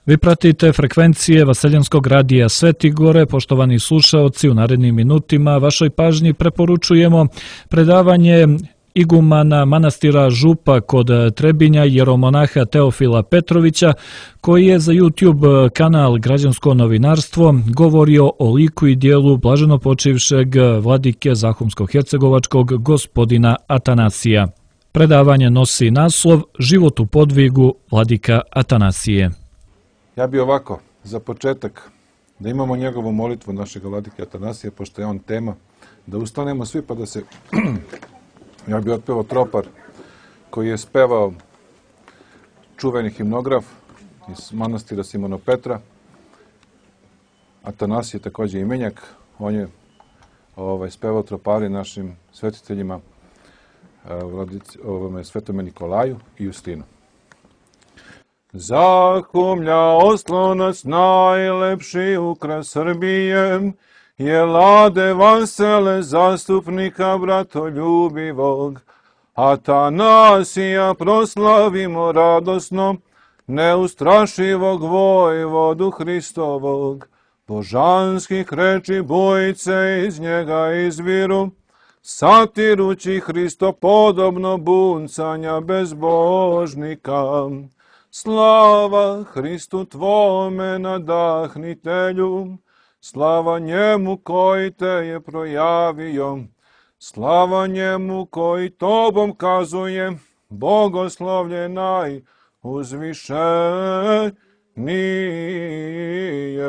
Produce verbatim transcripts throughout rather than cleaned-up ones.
Vi pratite frekvencije Vaseljenskog radija Sveti Gore. Poštovani slušaoci, u narednim minutima vašoj pažnji preporučujemo predavanje igumana manastira Župa kod Trebinja, jeromonaha Teofila Petrovića, koji je za YouTube kanal Građansko novinarstvo govorio o liku i dijelu blaženopočivšeg vladike Zahumsko-hercegovačkog gospodina Atanasija. Predavanje nosi naslov Život u podvigu vladika Atanasije. Ja bi ovako, za početak, da imamo njegovu molitvu našeg vladike Atanasija, pošto je on tema, da ustanemo svi pa da se... Ja bi otpevao tropar koji je spevao čuveni himnograf iz manastira Simona Petra. Atanasije je također imenjak. On je ovaj, spevao tropari našim svetiteljima, ovome, Svetome Nikolaju i Justinu. Zahumlja oslonac najlepši ukras Srbije, je lade vasele zastupnika bratoljubivog. Atanasija proslavimo radosno, neustrašivog vojvodu Hristovog. Božanskih reči bojice iz njega izviru, satirući Hristopodobno buncanja bezbožnika. Slava Hristu tvome nadahnitelju, slava njemu koji te je projavio, slava njemu koji tobom kazuje, bogoslovlje najuzvišenije.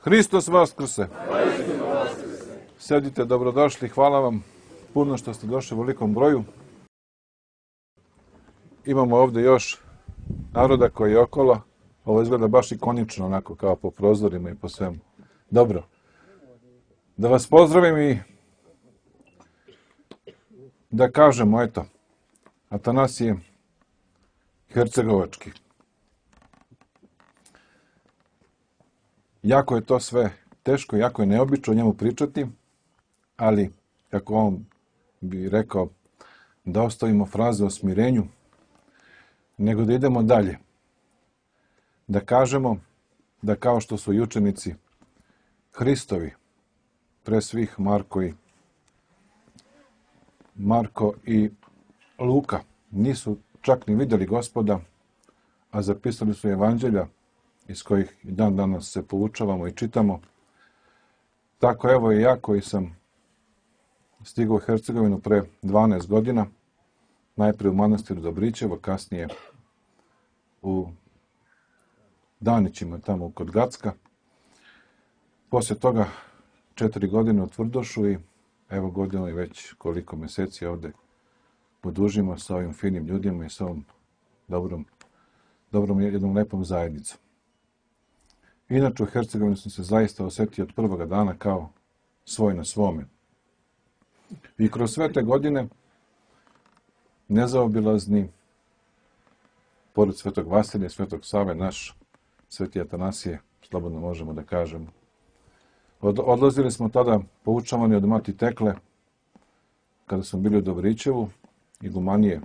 Hristos vaskrse! Sedite, dobrodošli, hvala vam puno što ste došli u velikom broju. Imamo ovdje još naroda koji je okolo. Ovo izgleda baš ikonično, onako kao po prozorima i po svemu. Dobro. Da vas pozdravim i da kažemo, eto, Atanasije Hercegovački. Jako je to sve teško, jako je neobično o njemu pričati, ali, kako on bi rekao, da ostavimo fraze o smirenju, nego da idemo dalje. Da kažemo da kao što su i učenici Hristovi, pre svih Marko i, Marko i Luka, nisu čak ni vidjeli Gospoda, a zapisali su evanđelja iz kojih i dan danas se poučavamo i čitamo. Tako evo i ja koji sam stigao u Hercegovinu pre dvanaest godina, najprije u manastiru Dobrićevo, kasnije u Danićima, tamo kod Gacka. Poslije toga četiri godine u Tvrdošu i evo godinu i već koliko mjeseci ovdje podužimo sa ovim finim ljudima i sa ovom dobrom, dobrom jednom lepom zajednicom. Inače u Hercegovini sam se zaista osjetio od prvoga dana kao svoj na svome. I kroz sve te godine nezaobilazni, pored Svetog Vasilija i Svetog Save, naš Sveti Atanasije, slobodno možemo da kažemo. Od, odlazili smo tada poučavani od mati Tekle, kada smo bili u Dobrićevu, igumanije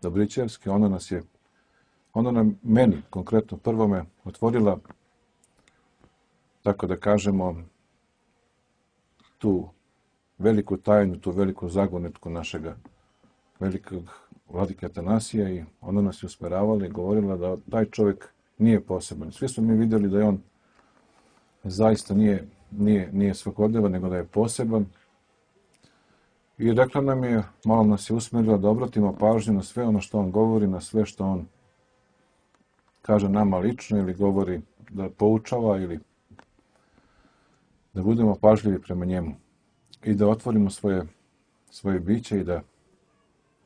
Dobrićevske, ona nas je, ona nam, meni konkretno prvome, otvorila, tako da kažemo, tu veliku tajnu, tu veliku zagonetku našega velikog vladike Atanasija i ona nas je usmeravala i govorila da taj čovjek nije poseban. Svi smo mi vidjeli da je on zaista nije, nije, nije svakodnevan, nego da je poseban. I rekla nam je, malo nas je usmjerila da obratimo pažnju na sve ono što on govori, na sve što on kaže nama lično ili govori da poučava ili da budemo pažljivi prema njemu i da otvorimo svoje, svoje biće i da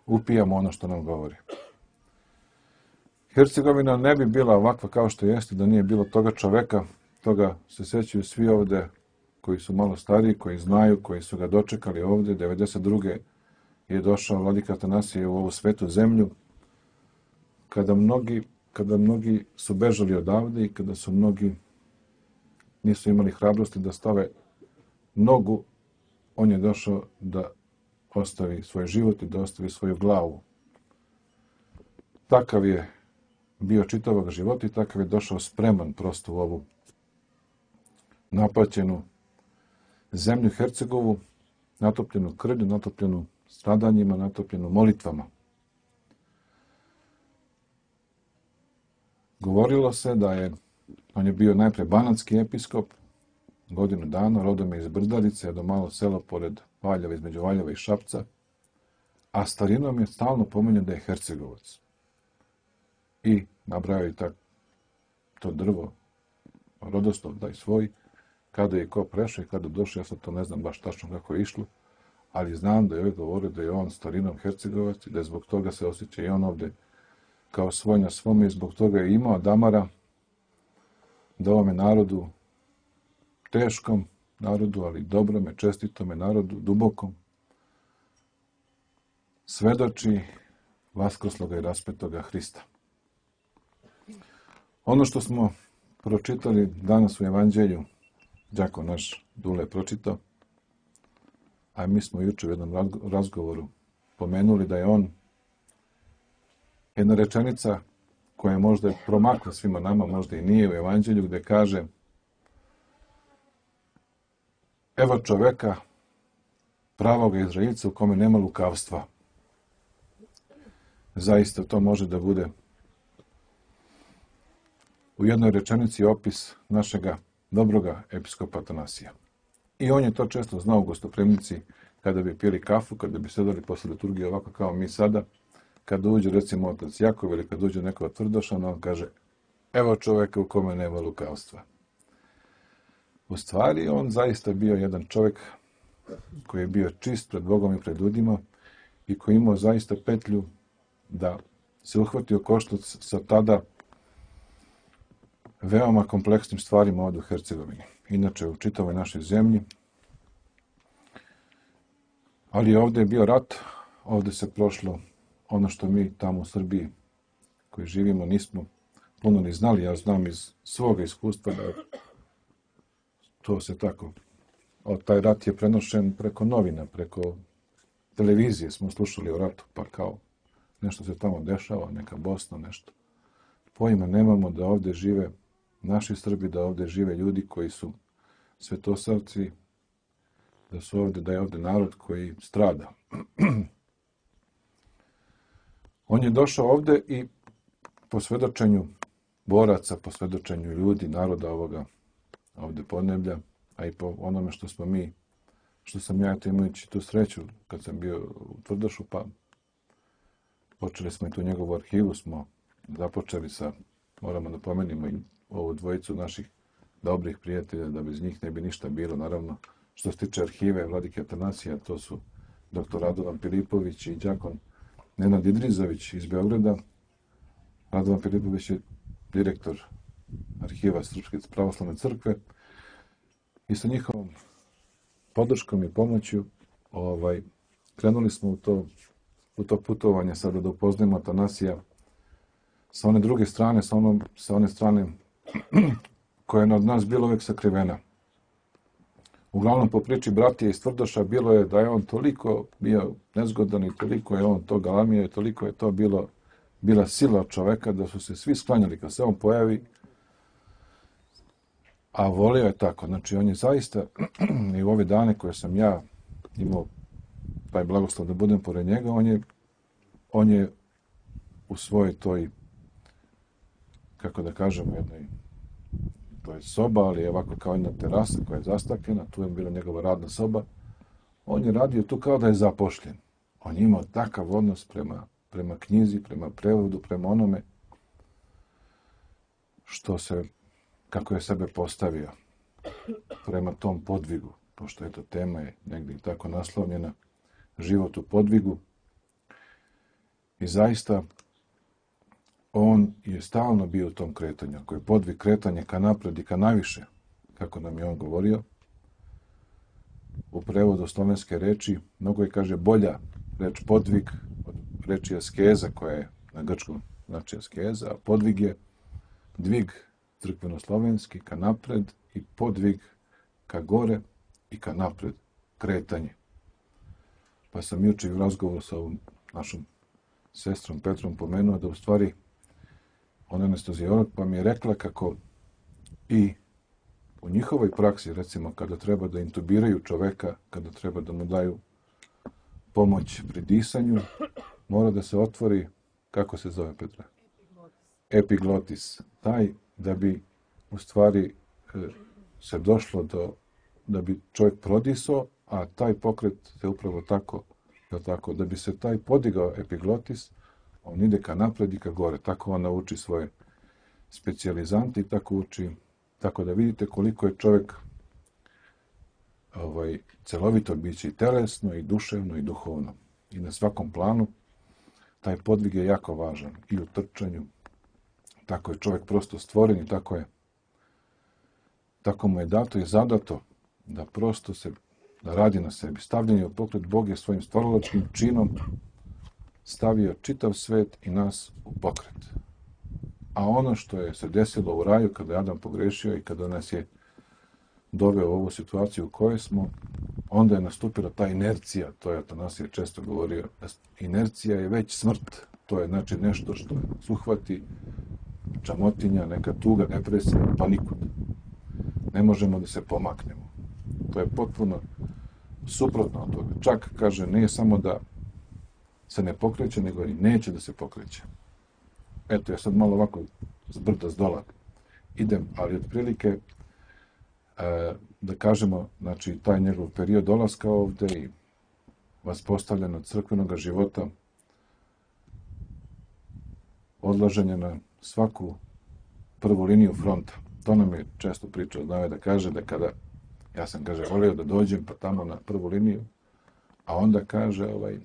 upijamo ono što nam govori. Hercegovina ne bi bila ovakva kao što jeste da nije bilo toga čoveka, toga se sećaju svi ovdje koji su malo stariji, koji znaju, koji su ga dočekali ovdje. devedeset druge je došao vladika Atanasije u ovu svetu zemlju, kada mnogi, kada mnogi su bežali odavde i kada su mnogi nisu imali hrabrosti da stave nogu, on je došao da ostavi svoj život i da ostavi svoju glavu. Takav je bio čitavog života i takav je došao spreman prosto u ovu napaćenu zemlju Hercegovu, natopljenu krvlju, natopljenu stradanjima, natopljenu molitvama. Govorilo se da je, on je bio najpre banatski episkop, godinu dana, rodom je iz Brdarice, do malo selo pored Valjeva, između Valjeva i Šapca, a starinom je stalno pominjao da je Hercegovac. I nabrajao i tak, to drvo, rodoslov, da je svoj, kada je ko prešao i kada došao, ja sad to ne znam baš tačno kako je išlo, ali znam da je uvijek govorio da je on starinom Hercegovac i da je zbog toga se osjeća i on ovdje kao svoj na svome i zbog toga je imao damara da ovome narodu, teškom narodu, ali dobrome, čestitome narodu, dubokom, svedoči vaskrsloga i raspetoga Hrista. Ono što smo pročitali danas u Evanđelju, đako naš Dule je pročitao, a mi smo juče u jednom razgovoru pomenuli da je on jedna rečenica koja je možda promakla svima nama, možda i nije u Evanđelju, gdje kaže: evo čoveka, pravog Izraelca u kome nema lukavstva. Zaista to može da bude u jednoj rečenici opis našega dobroga episkopa Atanasija. I on je to često znao u gostopremnici, kada bi pili kafu, kada bi sedali posle liturgije ovako kao mi sada, kada uđe recimo otac Jakov ili kada uđe neko od Tvrdošana, on kaže: evo čoveka u kome nema lukavstva. U stvari, on zaista bio jedan čovjek koji je bio čist pred Bogom i pred ljudima i koji imao zaista petlju da se uhvatio koštac sa tada veoma kompleksnim stvarima ovdje u Hercegovini. Inače, u čitavoj našoj zemlji. Ali ovdje je bio rat, ovdje se prošlo ono što mi tamo u Srbiji koji živimo nismo puno ni znali. Ja znam iz svoga iskustva da to se tako, o, taj rat je prenošen preko novina, preko televizije smo slušali o ratu, pa kao nešto se tamo dešava, neka Bosna, nešto. Pojma nemamo da ovdje žive naši Srbi, da ovdje žive ljudi koji su svetosavci, da su ovdje, da je ovdje narod koji strada. On je došao ovdje i po svedočenju boraca, po svedočenju ljudi, naroda ovoga ovdje podneblja, a i po onome što smo mi, što sam ja imajući tu sreću kad sam bio u Tvrdošu, pa počeli smo i tu njegovu arhivu, smo započeli sa, moramo da pomenimo i ovu dvojicu naših dobrih prijatelja, da bez njih ne bi ništa bilo. Naravno, što se tiče arhive Vladike Atanasija, to su doktor Radovan Filipović i đakon Nenad Idrizović iz Beograda. Radovan Filipović je direktor arhiva Srpske pravoslavne crkve i sa njihovom podrškom i pomoću ovaj, krenuli smo u to, u to putovanje sada da upoznajemo Atanasija sa one druge strane, sa, onom, sa one strane koja je od nas bila uvijek sakrivena. Uglavnom, po priči bratije iz Tvrdoša bilo je da je on toliko bio nezgodan i toliko je on to galamio i toliko je to bilo, bila sila od čoveka da su se svi sklanjali kad se on pojavi, a volio je tako. Znači, on je zaista i u ove dane koje sam ja imao taj blagoslov da budem pored njega, on je, on je u svojoj toj, kako da kažemo, jednoj, to je soba, ali je ovako kao jedna terasa koja je zastakljena, tu je bila njegova radna soba. On je radio tu kao da je zapošljen. On je imao takav odnos prema, prema knjizi, prema prevodu, prema onome što se, kako je sebe postavio prema tom podvigu, pošto eto tema je negdje tako naslovljena, život u podvigu. I zaista on je stalno bio u tom kretanju. Ako je podvig kretanje ka napred i ka naviše, kako nam je on govorio, u prevodu slovenske reči, mnogo je, kaže, bolja reč podvig od reči askeza, koja je na grčkom znači askeza, a podvig je dvig crkveno-slovenski ka napred i podvig ka gore i ka napred, kretanje. Pa sam juče u razgovoru sa ovom našom sestrom Petrom pomenuo da u stvari ona je anesteziolog, pa mi je rekla kako i u njihovoj praksi, recimo, kada treba da intubiraju čoveka, kada treba da mu daju pomoć pri disanju, mora da se otvori, kako se zove, Petra? Epiglotis. Taj, da bi u stvari se došlo do, da bi čovjek prodisao, a taj pokret se upravo tako, tako, da bi se taj podigao epiglotis, on ide ka napred i ka gore. Tako on nauči svoje specijalizante i tako uči. Tako da vidite koliko je čovjek ovaj, celovito biće i telesno, i duševno, i duhovno. I na svakom planu taj podvig je jako važan. I u trčanju. Tako je čovjek prosto stvoren i tako je. Tako mu je dato i zadato da prosto se, da radi na sebi. Stavljanje u pokret, Bog je svojim stvaralačkim činom stavio čitav svet i nas u pokret. A ono što je se desilo u raju kada je Adam pogrešio i kada nas je doveo u ovu situaciju u kojoj smo, onda je nastupila ta inercija, to je Atanasije često govorio, inercija je već smrt, to je znači nešto što nas uhvati, čamotinja, neka tuga, depresija, pa nikud. Ne možemo da se pomaknemo. To je potpuno suprotno od toga. Čak, kaže, nije samo da se ne pokreće, nego i neće da se pokreće. Eto, ja sad malo ovako zbrda zdola idem, ali otprilike e, da kažemo, znači, taj njegov period dolaska ovde i vaspostavljeno crkvenog života, odlaženje na svaku prvu liniju fronta. To nam je često pričao, znao je da kaže da kada, ja sam, kaže, volio da dođem pa tamo na prvu liniju, a onda kaže, ovaj,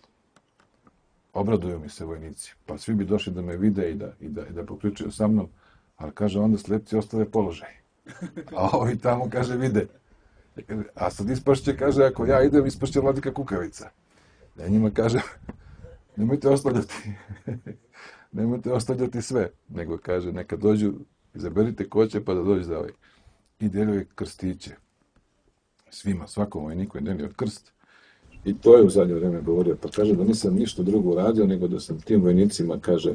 obraduju mi se vojnici, pa svi bi došli da me vide i da, i da, i da popričaju sa mnom, ali kaže, onda slepci ostave položaj. A ovi tamo, kaže, vide. A sad ispašće, kaže, ako ja idem, ispašće Vladika Kukavica. Ja njima kažem, nemojte ostavljati, nemojte ostavljati sve, nego kaže, neka dođu, izaberite ko će pa da dođe za ovaj. I delio krstiće. Svima, svakom vojniku je delio krst. I to je u zadnje vreme govorio, pa kaže da nisam ništa drugo uradio, nego da sam tim vojnicima, kaže,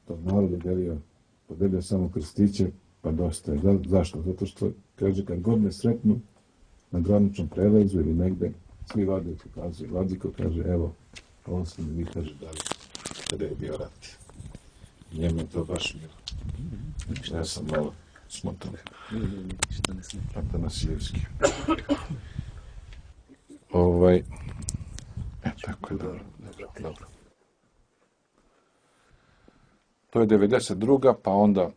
to narod je delio, podelio samo krstiće, pa dosta je. Da, zašto? Zato što, kaže, kad god me sretnu na graničnom prelazu ili negde, svi vade pokazuju. Vladiko kaže, evo, ovo ste mi vi, kaže, dali, kada je bio rat. Njemu je to baš milo. Ja sam malo smotan. Atanasijevski. Ovaj, e, tako je, dobro, dobro, dobro. To je devedeset druga, pa onda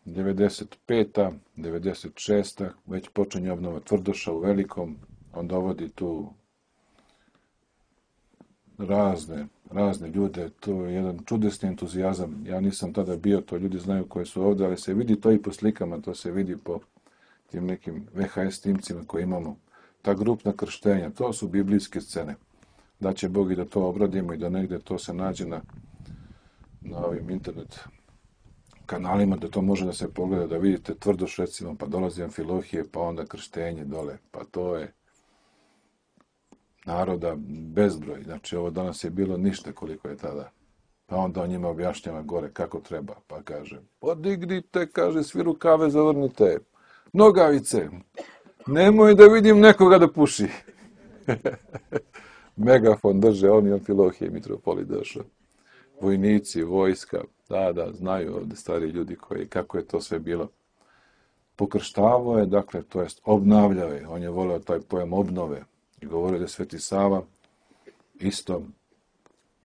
devedeset peta, devedeset šesta, već počinje obnova Tvrdoša u Velikom, on dovodi tu razne, razne ljude, to je jedan čudesni entuzijazam. Ja nisam tada bio, to ljudi znaju koji su ovdje, ali se vidi to i po slikama, to se vidi po tim nekim ve ha es snimcima koje imamo. Ta grupna krštenja, to su biblijske scene. Da će Bog i da to obradimo i da negde to se nađe na, na ovim internet kanalima, da to može da se pogleda, da vidite Tvrdoš recimo, pa dolazi Amfilohije, pa onda krštenje dole, pa to je naroda bezbroj. Znači, ovo danas je bilo ništa koliko je tada. Pa onda on njima objašnjava gore kako treba, pa kaže, podignite, kaže, svi rukave zavrnite, nogavice, nemoj da vidim nekoga da puši. Megafon drže, oni Amfilohije i Mitropoli došao. Vojnici, vojska, da, da, znaju ovde stari ljudi koji, kako je to sve bilo. Pokrštavao je, dakle, to jest obnavljao je, on je voleo taj pojam obnove i govorio da je Sveti Sava isto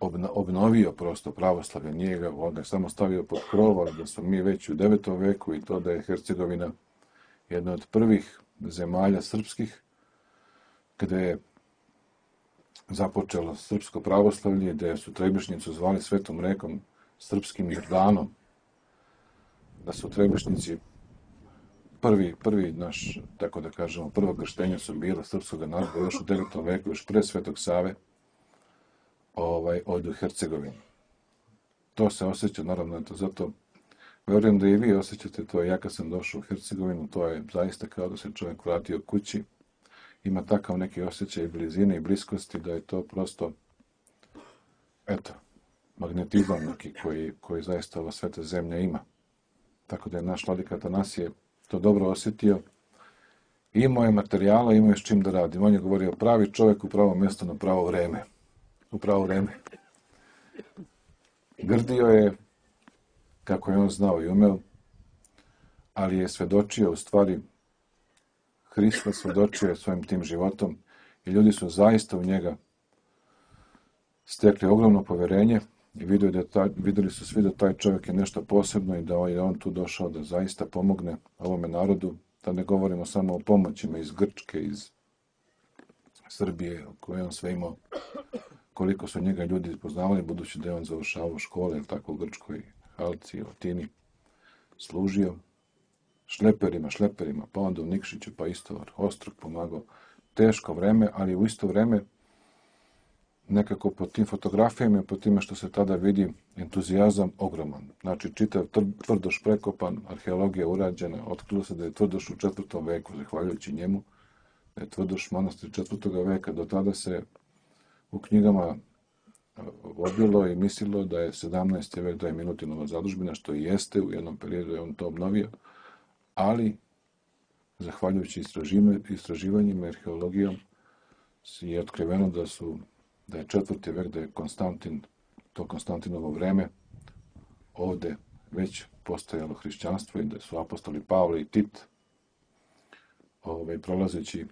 obna, obnovio prosto pravoslavlje, nije ga, on ga samo stavio pod krov, da smo mi već u devetom veku i to da je Hercegovina jedna od prvih zemalja srpskih gde je započelo srpsko pravoslavlje, gde su Trebišnjicu zvali Svetom rekom, srpskim Jordanom, da su Trebišnjici prvi, prvi naš, tako da kažemo, prvo krštenje su bila srpskog naroda još u devetom veku, još pre Svetog Save, ovaj, od Hercegovine. To se osjeća, naravno, to zato verujem da i vi osjećate to. Ja kad sam došao u Hercegovinu, to je zaista kao da se čovjek vratio kući. Ima takav neki osjećaj blizine i bliskosti da je to prosto, eto, magnetizam neki koji, koji zaista ova sveta zemlja ima. Tako da je naš vladika Atanasije to dobro osjetio. Imao je materijala, imao je s čim da radi. On je govorio pravi čovjek u pravo mjesto na pravo vreme. U pravo vreme. Grdio je, kako je on znao i umeo, ali je svedočio, u stvari, Hrista svedočio je svojim tim životom i ljudi su zaista u njega stekli ogromno poverenje i vidjeli, da taj, vidjeli su svi da taj čovjek je nešto posebno i da je on tu došao da zaista pomogne ovome narodu, da ne govorimo samo o pomoćima iz Grčke, iz Srbije, koje on sve imao, koliko su njega ljudi poznavali, budući da je on završavao škole, tako u Grčkoj, Halci, Atini, služio šleperima, šleperima, pa onda u Nikšiću, pa isto Ostrog pomagao. Teško vreme, ali u isto vreme nekako po tim fotografijama i po time što se tada vidi entuzijazam ogroman. Znači, čitav Tvrdoš prekopan, arheologija urađena, otkrilo se da je Tvrdoš u četvrtom veku, zahvaljujući njemu, da je Tvrdoš manastir četvrtog veka. Do tada se u knjigama vodilo i mislilo da je sedamnaesti vek, da je Milutinova zadužbina, što i jeste, u jednom periodu je on to obnovio, ali, zahvaljujući istraživanjima i arheologijom, je otkriveno da su da je četvrti vek, da je Konstantin, to Konstantinovo vreme, ovde već postojalo hrišćanstvo i da su apostoli Pavle i Tit, ovaj, prolazeći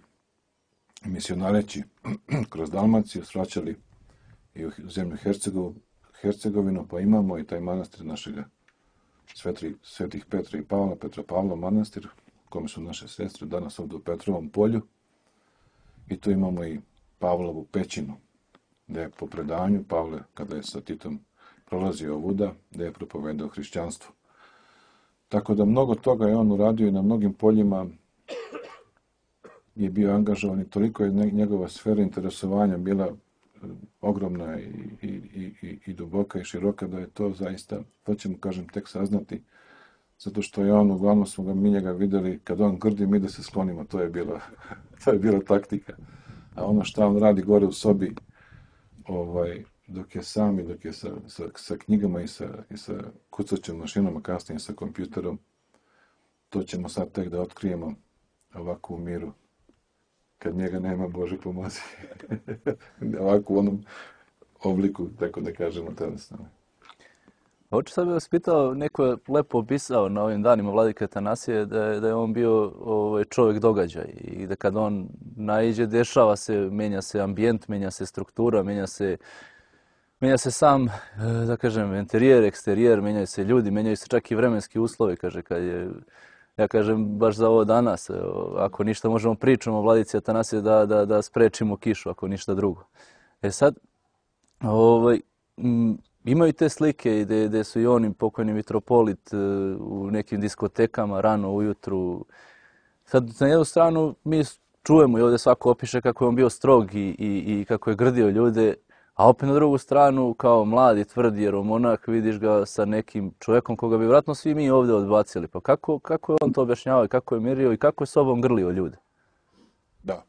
misionareći kroz Dalmaciju, svraćali i u zemlju Hercegovu, Hercegovinu, pa imamo i taj manastir našega svetri, svetih Petra i Pavla, Petra Pavla manastir, u kome su naše sestre danas ovdje u Petrovom polju, i tu imamo i Pavlovu pećinu, gdje je po predanju Pavle, kada je sa Titom prolazio ovuda, gdje je propovedao hrišćanstvo. Tako da mnogo toga je on uradio i na mnogim poljima je bio angažovan i toliko je njegova sfera interesovanja bila ogromna i, i, i, i duboka i široka, da je to zaista, to ćemo, kažem, tek saznati, zato što je on, uglavnom smo ga, mi njega vidjeli, kad on grdi, mi da se sklonimo, to je bila, to je bila taktika. A ono što on radi gore u sobi, ovaj, dok je sam i dok je sa, sa, sa knjigama i sa, i sa kucaćom mašinom, a kasnije sa kompjuterom, to ćemo sad tek da otkrijemo ovako u miru. Kad njega nema, Bože pomozi. Ovako u onom obliku, tako da kažemo, telesno. Hoću sad bih vas pitao, neko je lepo opisao na ovim danima vladike Atanasije da je, da je on bio ovaj, čovjek događaj i da kad on naiđe, dešava se, menja se ambijent, menja se struktura, menja se, menja se sam, da kažem, interijer, eksterijer, menjaju se ljudi, menjaju se čak i vremenski uslovi, kaže, kad je, ja kažem, baš za ovo danas, ako ništa možemo pričamo o vladici Atanasije da, da, da sprečimo kišu, ako ništa drugo. E sad, ovaj, m, imaju te slike gdje, gdje su i oni, pokojni mitropolit, u nekim diskotekama rano ujutru. Sad, na jednu stranu, mi čujemo i ovdje svako opiše kako je on bio strog i, i, i kako je grdio ljude, a opet na drugu stranu, kao mladi, tvrdi jeromonah, vidiš ga sa nekim čovjekom koga bi vjerojatno svi mi ovdje odbacili. Pa kako, kako je on to objašnjavao i kako je mirio i kako je sobom grlio ljude? Da.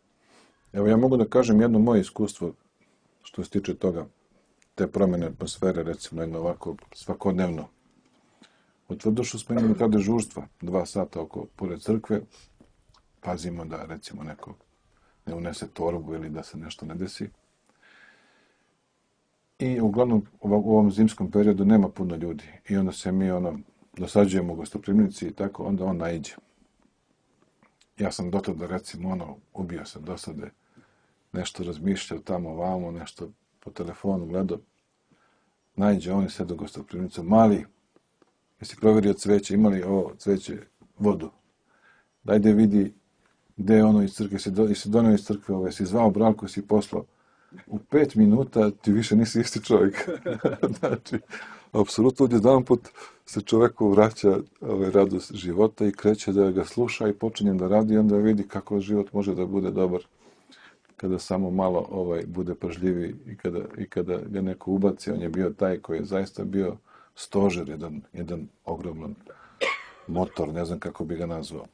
Evo, ja mogu da kažem jedno moje iskustvo što se tiče toga, te promjene atmosfere, recimo, jedno ovako svakodnevno. U Tvrdošu smo imali ta dežurstva, dva sata oko pored crkve, pazimo da, recimo, neko ne unese torbu ili da se nešto ne desi. I uglavnom u ovom zimskom periodu nema puno ljudi i onda se mi ono dosađujemo u gostoprimnici i tako, onda on naiđe. Ja sam do tada, recimo, ono, ubio sam dosade, nešto razmišljao tamo vamo, nešto po telefonu gledao. Naiđe on i sve do gostoprimnicu. Mali, jesi provjerio cveće, imali ovo cveće, vodu. Daj da vidi gde je ono iz crkve, jesi, do, jesi donio iz crkve ovo, jesi zvao Branku, jesi poslao. U pet minuta ti više nisi isti čovjek. Znači, apsolutno odjedan put se čovjeku vraća ovaj, radost života i kreće da ga sluša i počinje da radi i onda vidi kako život može da bude dobar kada samo malo ovaj bude pažljiviji i kada, i kada ga neko ubaci. On je bio taj koji je zaista bio stožer, jedan, jedan ogroman motor, ne znam kako bi ga nazvao,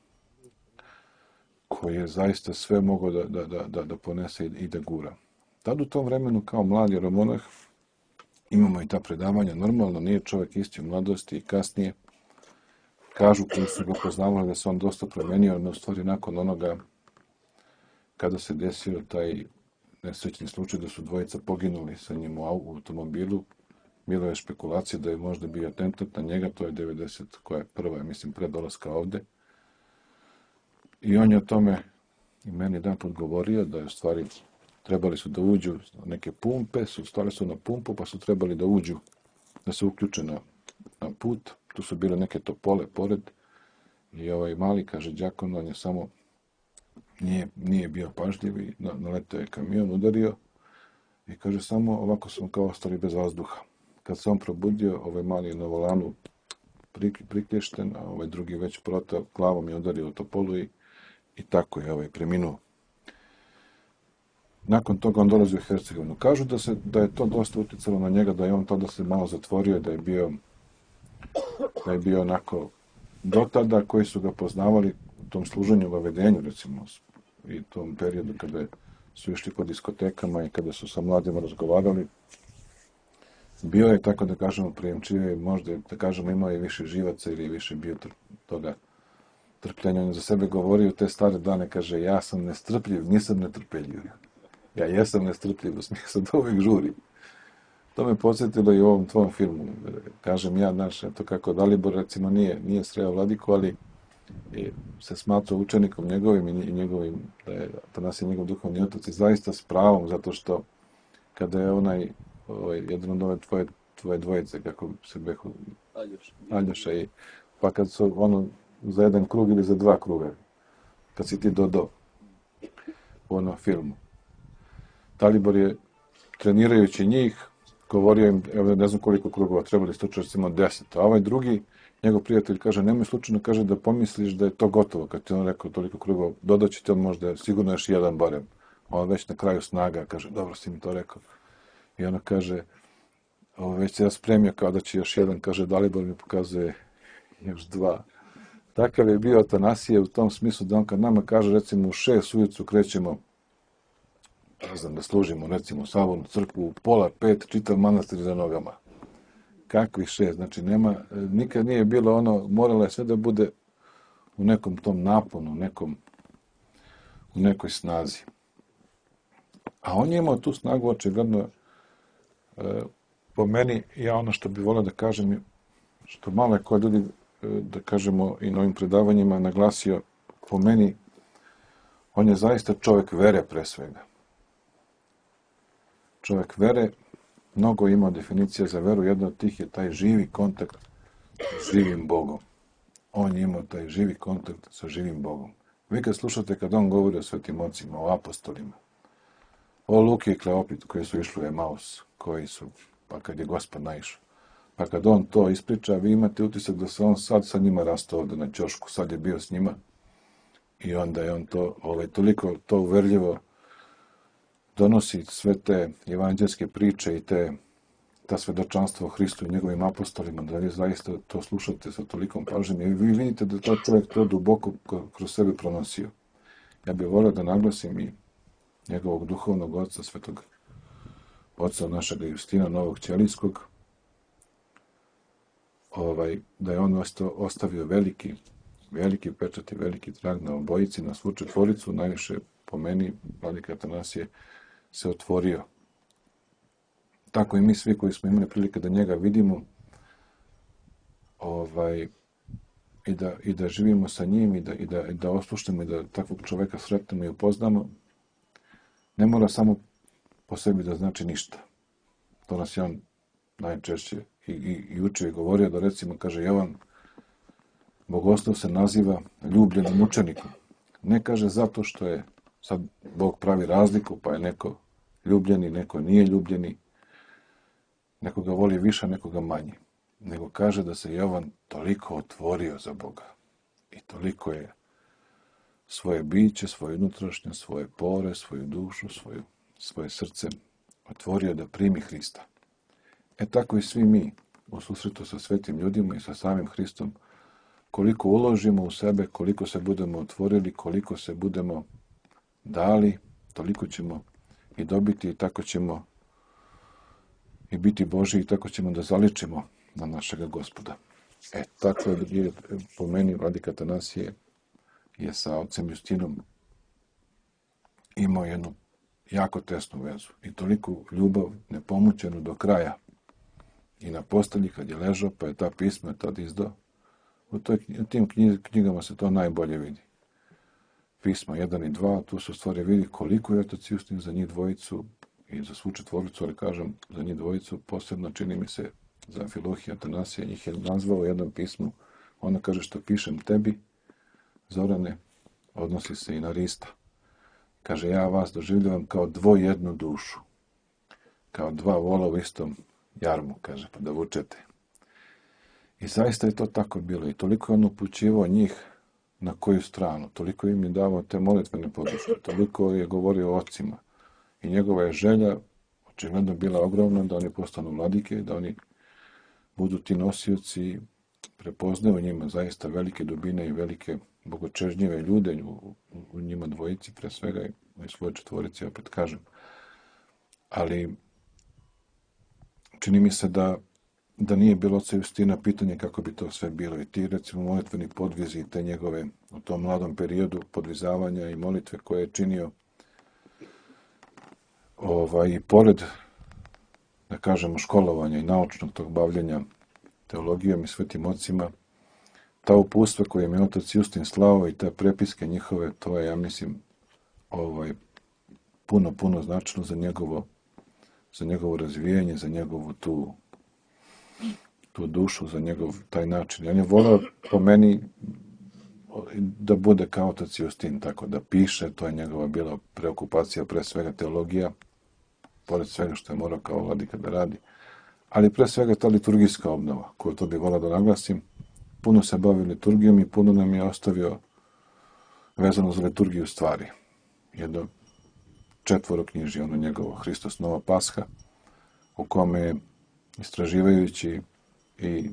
koji je zaista sve mogao da, da, da, da ponese i da gura. Tad u tom vremenu kao mlad jeromonah imamo i ta predavanja. Normalno nije čovjek isti u mladosti i kasnije. Kažu koji su ga poznavali da se on dosta promenio, no u stvari nakon onoga kada se desio taj nesrećni slučaj da su dvojica poginuli sa njim u automobilu, bilo je špekulacija da je možda bio atentat na njega, to je devedeset koja je prva, ja mislim, pre dolaska ovde. I on je o tome i meni jedan put govorio da je u stvari trebali su da uđu neke pumpe, su stali su na pumpu pa su trebali da uđu, da se uključe na, na put. Tu su bile neke topole pored i ovaj mali, kaže, đakon, on je samo nije, nije bio pažljiv i naletao je kamion, udario i kaže, samo ovako smo kao ostali bez vazduha. Kad se on probudio, ovaj mali je na volanu prik, priklješten, a ovaj drugi već protao, glavom je udario u topolu i, i tako je ovaj preminuo. Nakon toga on dolazi u Hercegovinu. Kažu da, se, da je to dosta uticalo na njega, da je on tada se malo zatvorio, da je bio, da je bio onako do tada koji su ga poznavali u tom služenju u vedenju, recimo, i tom periodu kada su išli po diskotekama i kada su sa mladima razgovarali. Bio je, tako da kažemo, prijemčivije, možda, da kažemo, imao je više živaca ili više bio toga trpljenja. On za sebe govorio te stare dane, kaže, ja sam nestrpljiv, nisam netrpeljiv. Ja jesam nestrpljiv, u smislu da uvijek žuri. To me podsjetilo i u ovom tvom filmu. Kažem ja, znaš, eto kako Dalibor, recimo, nije, nije sreo Vladiku, ali se smatrao učenikom njegovim i njegovim, da je Atanasije njegov duhovni otac i zaista s pravom, zato što kada je onaj, ovaj, jedan od ove tvoje, tvoje dvojice, kako se behu, Aljoša. Aljoša i, pa kad su ono za jedan krug ili za dva kruga, kad si ti dodao u onom filmu. Dalibor je, trenirajući njih, govorio im, evo ne znam koliko krugova, trebali ste recimo deset, a ovaj drugi, njegov prijatelj kaže, nemoj slučajno, kaže, da pomisliš da je to gotovo, kad ti on rekao toliko krugova, dodaći ti on možda sigurno još jedan barem. On već na kraju snaga, kaže, dobro si mi to rekao. I ono kaže, ovo već se ja spremio kao da će još jedan, kaže, Dalibor mi pokazuje još dva. Takav je bio Atanasije u tom smislu da on kad nama kaže, recimo u šest ujutru krećemo, ne znam, da služimo, recimo, Sabornu crkvu, u pola pet, čitav manastir za nogama. Kakvih šest? Znači, nema, nikad nije bilo ono, moralo je sve da bude u nekom tom naponu, nekom, u nekoj snazi. A on je imao tu snagu, očigledno, e, po meni, ja ono što bi volio da kažem, što malo je ko ljudi, e, da kažemo, i na ovim predavanjima naglasio, po meni, on je zaista čovjek vere pre svega. Čovjek vere, mnogo ima definicija za veru, jedna od tih je taj živi kontakt s živim Bogom. On je imao taj živi kontakt sa živim Bogom. Vi kad slušate kad on govori o svetim ocima, o apostolima, o Luki i Kleopit koji su išli u Emaus, koji su, pa kad je Gospod naišao, pa kad on to ispriča, vi imate utisak da se on sad sa njima rastao ovdje na ćošku, sad je bio s njima i onda je on to, ovaj, toliko to uverljivo donosi sve te evanđelske priče i te, ta svedočanstva o Hristu i njegovim apostolima, da vi zaista to slušate sa tolikom pažnjom i vi vidite da to čovjek to duboko kroz sebe pronosio. Ja bih volio da naglasim i njegovog duhovnog oca, svetog oca našega Justina Novog Ćelijskog, ovaj, da je on ostavio veliki, veliki pečat i veliki trag na obojici, na svu četvoricu, najviše po meni, vladika Atanasije, se otvorio. Tako i mi svi koji smo imali prilike da njega vidimo ovaj, i, da, i da živimo sa njim i da, i da, i da oslušnemo i da takvog čoveka sretnemo i upoznamo, ne mora samo po sebi da znači ništa. To nas je on najčešće i, i, i učio i govorio da recimo, kaže Jovan, Bogoslov se naziva ljubljenim učenikom. Ne kaže zato što je sad Bog pravi razliku, pa je neko ljubljeni, neko nije ljubljeni, neko ga voli više, neko ga manje. Nego kaže da se Jovan toliko otvorio za Boga i toliko je svoje biće, svoje unutrašnje, svoje pore, svoju dušu, svoju, svoje srce otvorio da primi Hrista. E tako i svi mi u susretu sa svetim ljudima i sa samim Hristom, koliko uložimo u sebe, koliko se budemo otvorili, koliko se budemo dali, toliko ćemo i dobiti i tako ćemo i biti Božji i tako ćemo da zaličimo na našega Gospoda. E, tako je po meni vladika Atanasije je sa ocem Justinom imao jednu jako tesnu vezu i toliku ljubav nepomućenu do kraja. I na postelji kad je ležao, pa je ta pisma tad izdao. U, toj, u tim knjigama se to najbolje vidi. Pisma jedan i dva, tu se u stvari vidi koliko je otac Justin za njih dvojicu i za svu četvoricu, ali kažem za njih dvojicu, posebno čini mi se za Amfilohija Atanasija, njih je nazvao u jednom pismu. Ona kaže što pišem tebi, Zorane, odnosi se i na Rista. Kaže, ja vas doživljavam kao dvojednu dušu, kao dva vola u istom jarmu, kaže, pa da vučete. I zaista je to tako bilo i toliko je on upućivao njih na koju stranu, toliko im je davao te molitvene podrške, toliko je govorio o ocima. I njegova je želja očigledno bila ogromna da oni postanu vladike, da oni budu ti nosioci, prepoznaju njima zaista velike dubine i velike bogočežnjive ljude u, u njima dvojici, pre svega i u svojoj četvorici, opet kažem. Ali čini mi se da, da nije bilo oca Justina pitanje kako bi to sve bilo. I ti, recimo, molitveni podvizi i te njegove u tom mladom periodu podvizavanja i molitve koje je činio ovaj, i pored, da kažemo, školovanja i naučnog tog bavljenja teologijom i svetim ocima, ta uputstva koje im je otac Justin slao i te prepiske njihove, to je, ja mislim, ovaj, puno, puno značilo za njegovo, za njegovo razvijanje, za njegovu tu, tu dušu, za njegov taj način. On je volao po meni da bude kao otac Justin, tako da piše, to je njegova bila preokupacija, pre svega teologija, pored svega što je morao kao vladika da radi, ali pre svega ta liturgijska obnova, koju to bi volao da naglasim. Puno se bavio liturgijom i puno nam je ostavio vezano za liturgiju stvari. Jedno četvoro knjiži, ono njegovo, Hristos Nova Pasha, u kome istraživajući i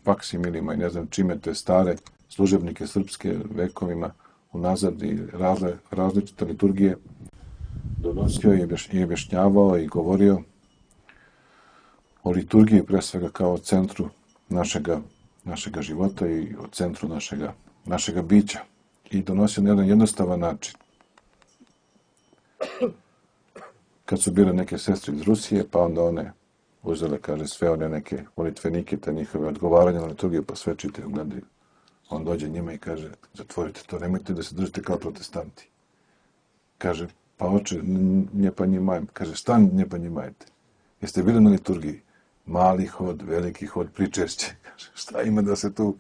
faksimilima i ne znam čime te stare služebnike srpske vekovima unazad i razle, različite liturgije donosio i objašnjavao i govorio o liturgiji pre svega kao centru našega, našega života i o centru našega, našega bića. I donosio na jedan jednostavan način. Kad su bile neke sestre iz Rusije, pa onda one uzele, kaže, sve one neke molitvenike, te njihove odgovaranja na liturgiju, pa sve čitaju, gledaju. On dođe njima i kaže, zatvorite to, nemojte da se držite kao protestanti. Kaže, pa oče, nje pa njimajem. Kaže, šta nje pa njimajete? Jeste bili na liturgiji? Mali hod, veliki hod, pričešće. Kaže, šta ima da se tu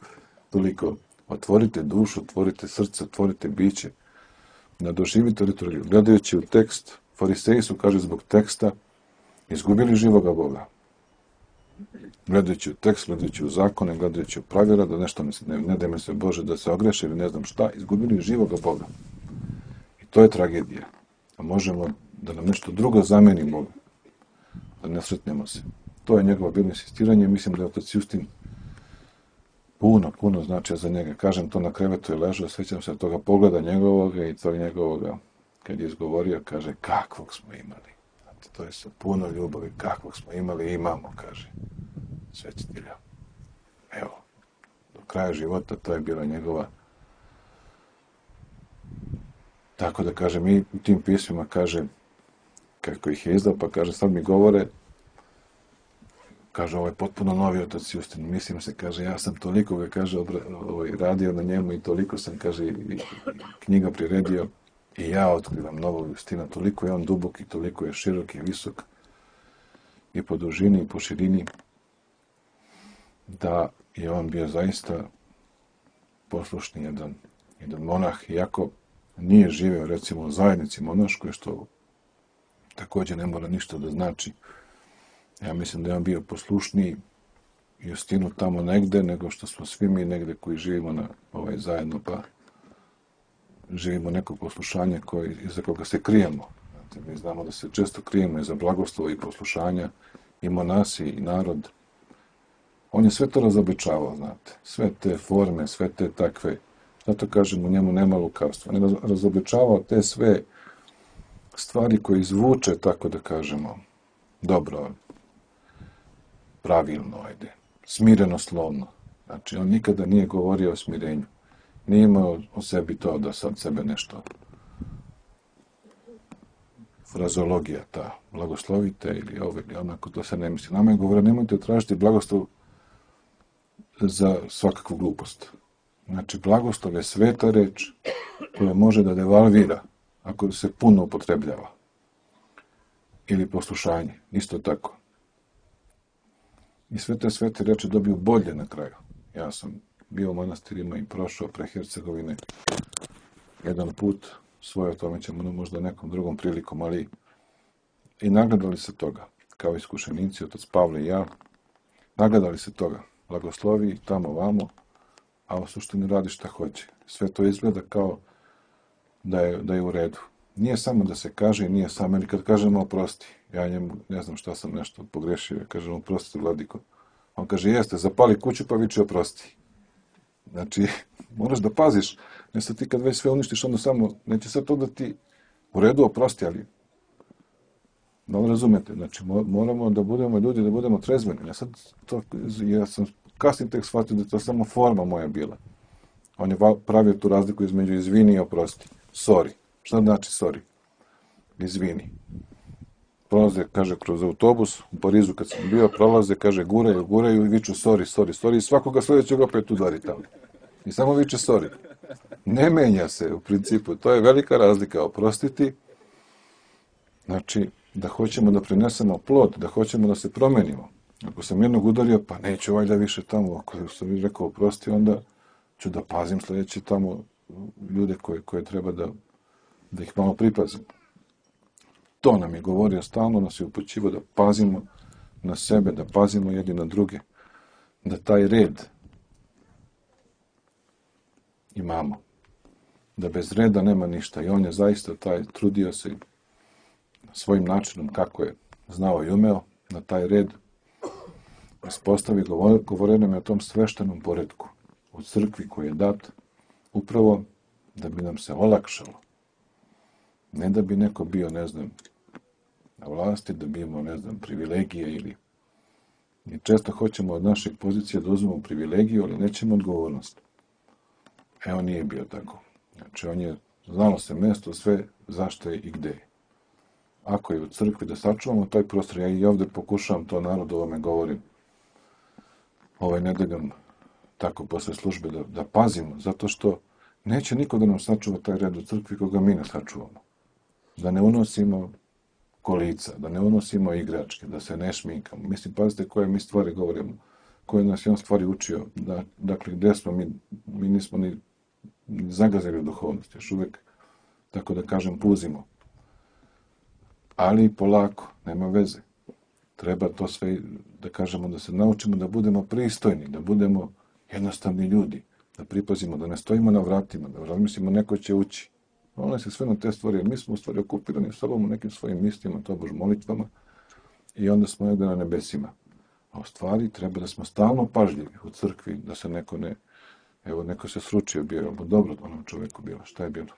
toliko? Otvorite dušu, otvorite srce, otvorite biće. Nadoživite liturgiju. Gledajući u tekst, fariseji su, kaže, zbog teksta izgubili živoga Boga. Gledajući u tekst, gledajući u zakone, gledajući u pravila, da nešto ne, ne da mi se Bože da se ogreše ili ne znam šta, izgubili živoga Boga. I to je tragedija. A možemo da nam nešto drugo zameni Boga. Da ne sretnemo se. To je njegovo bilo insistiranje. Mislim da je otac Justin puno, puno značio za njega. Kažem, to na krevetu je ležao, sjećam se toga pogleda njegovoga i tog njegovoga, kad je izgovorio, kaže, kakvog smo imali. Znate, to je sa puno ljubavi, kakvog smo imali i imamo, kaže svećitelja. Evo, do kraja života to je bila njegova. Tako da, kaže, mi u tim pismima, kaže, kako ih je izdao, pa kaže, sad mi govore, kaže, ovo je potpuno novi otac Justin, mislim se, kaže, ja sam toliko ga, kaže, ovaj, radio na njemu i toliko sam, kaže, i knjiga priredio i ja otkrivam novog Justina, toliko je on dubok i toliko je širok i visok i po dužini i po širini, da je on bio zaista poslušni jedan, jedan monah, iako nije živeo, recimo, u zajednici monaškoj, što također ne mora ništa da znači. Ja mislim da je on bio poslušniji Justinu tamo negde, nego što smo svi mi negde koji živimo na ovaj zajedno, pa živimo neko poslušanje koje, iza koga se krijemo. Znate, mi znamo da se često krijemo iza blagoslova i poslušanja, i monasi, i narod. On je sve to razobičavao, znate. Sve te forme, sve te takve. Zato kažem, u njemu nema lukavstva. On je razobičavao te sve stvari koje izvuče, tako da kažemo, dobro, pravilno, ajde, smireno slovno. Znači, on nikada nije govorio o smirenju. Nije imao o sebi to da sad sebe nešto frazologija ta, blagoslovite ili ovo ili onako, to se ne misli. Nama je govorio, nemojte tražiti blagoslov za svakakvu glupost. Znači, blagoslov je sveta reč koja može da devalvira ako se puno upotrebljava. Ili poslušanje, isto tako. I sve te svete reči dobiju bolje na kraju. Ja sam bio u manastirima i prošao pre Hercegovine jedan put, svoje o tome ćemo možda nekom drugom prilikom, ali i nagledali se toga, kao iskušenici, otac Pavle i ja, nagledali se toga, blagoslovi tamo vamo, a u suštini radi šta hoće. Sve to izgleda kao da je, da je u redu. Nije samo da se kaže i nije samo, ili kad kažemo oprosti, ja njemu ne znam šta sam nešto pogrešio, ja kažem oprosti vladiko. On kaže, jeste, zapali kuću pa viči oprosti. Znači, moraš da paziš, ne sad ti kad već sve uništiš, onda samo, neće sad to da ti u redu oprosti, ali da li razumete, znači moramo da budemo ljudi, da budemo trezveni. Ja sad to, ja sam kasnije tek shvatio da je to samo forma moja bila. On je pravio tu razliku između izvini i oprosti. Sorry. Šta znači sorry? Izvini. Prolaze, kaže, kroz autobus, u Parizu kad sam bio, prolaze, kaže, guraju, guraju i viču sorry, sorry, sorry i svakoga sljedećeg opet udari tamo. I samo viče sorry. Ne menja se u principu, to je velika razlika. Oprostiti, znači, da hoćemo da prinesemo plod, da hoćemo da se promenimo. Ako sam jednog udario, pa neću valjda više tamo, ako sam mi rekao oprosti, onda ću da pazim sljedeći tamo ljude koje, koje treba da, da ih malo pripazim. To nam je govorio stalno, nas je upućivo da pazimo na sebe, da pazimo jedni na druge, da taj red imamo, da bez reda nema ništa. I on je zaista taj, trudio se svojim načinom kako je znao i umeo na taj red uspostavi, govorio nam je o tom sveštenom poretku u crkvi koji je dat upravo da bi nam se olakšalo. Ne da bi neko bio, ne znam, na vlasti, da bi imao, ne znam, privilegije ili... Mi često hoćemo od naših pozicija da uzmemo privilegiju, ali nećemo odgovornost. E, on nije bio tako. Znači, on je znalo se mesto sve zašto je i gde je. Ako je u crkvi da sačuvamo taj prostor, ja i ovdje pokušavam to narodu ovome govorim ovaj nedeljom tako posle službe da, da pazimo, zato što neće niko da nam sačuva taj red u crkvi koga mi ne sačuvamo. Da ne unosimo kolica, da ne unosimo igračke, da se ne šminkamo. Mislim, pazite koje mi stvari govorimo, koje nas je on stvari učio. Da, dakle, gde smo mi, mi nismo ni, ni zagazili u duhovnosti, još uvijek, tako da kažem, puzimo. Ali polako, nema veze. Treba to sve, da kažemo, da se naučimo da budemo pristojni, da budemo jednostavni ljudi, da pripazimo, da ne stojimo na vratima, da razmislimo neko će ući. Ono se sve na te stvari, jer mi smo u stvari okupirani sobom u nekim svojim mislima, to bož molitvama, i onda smo negdje na nebesima. A u stvari treba da smo stalno pažljivi u crkvi, da se neko ne, evo neko se sručio bio, ali dobro onom čovjeku bilo, šta je bilo?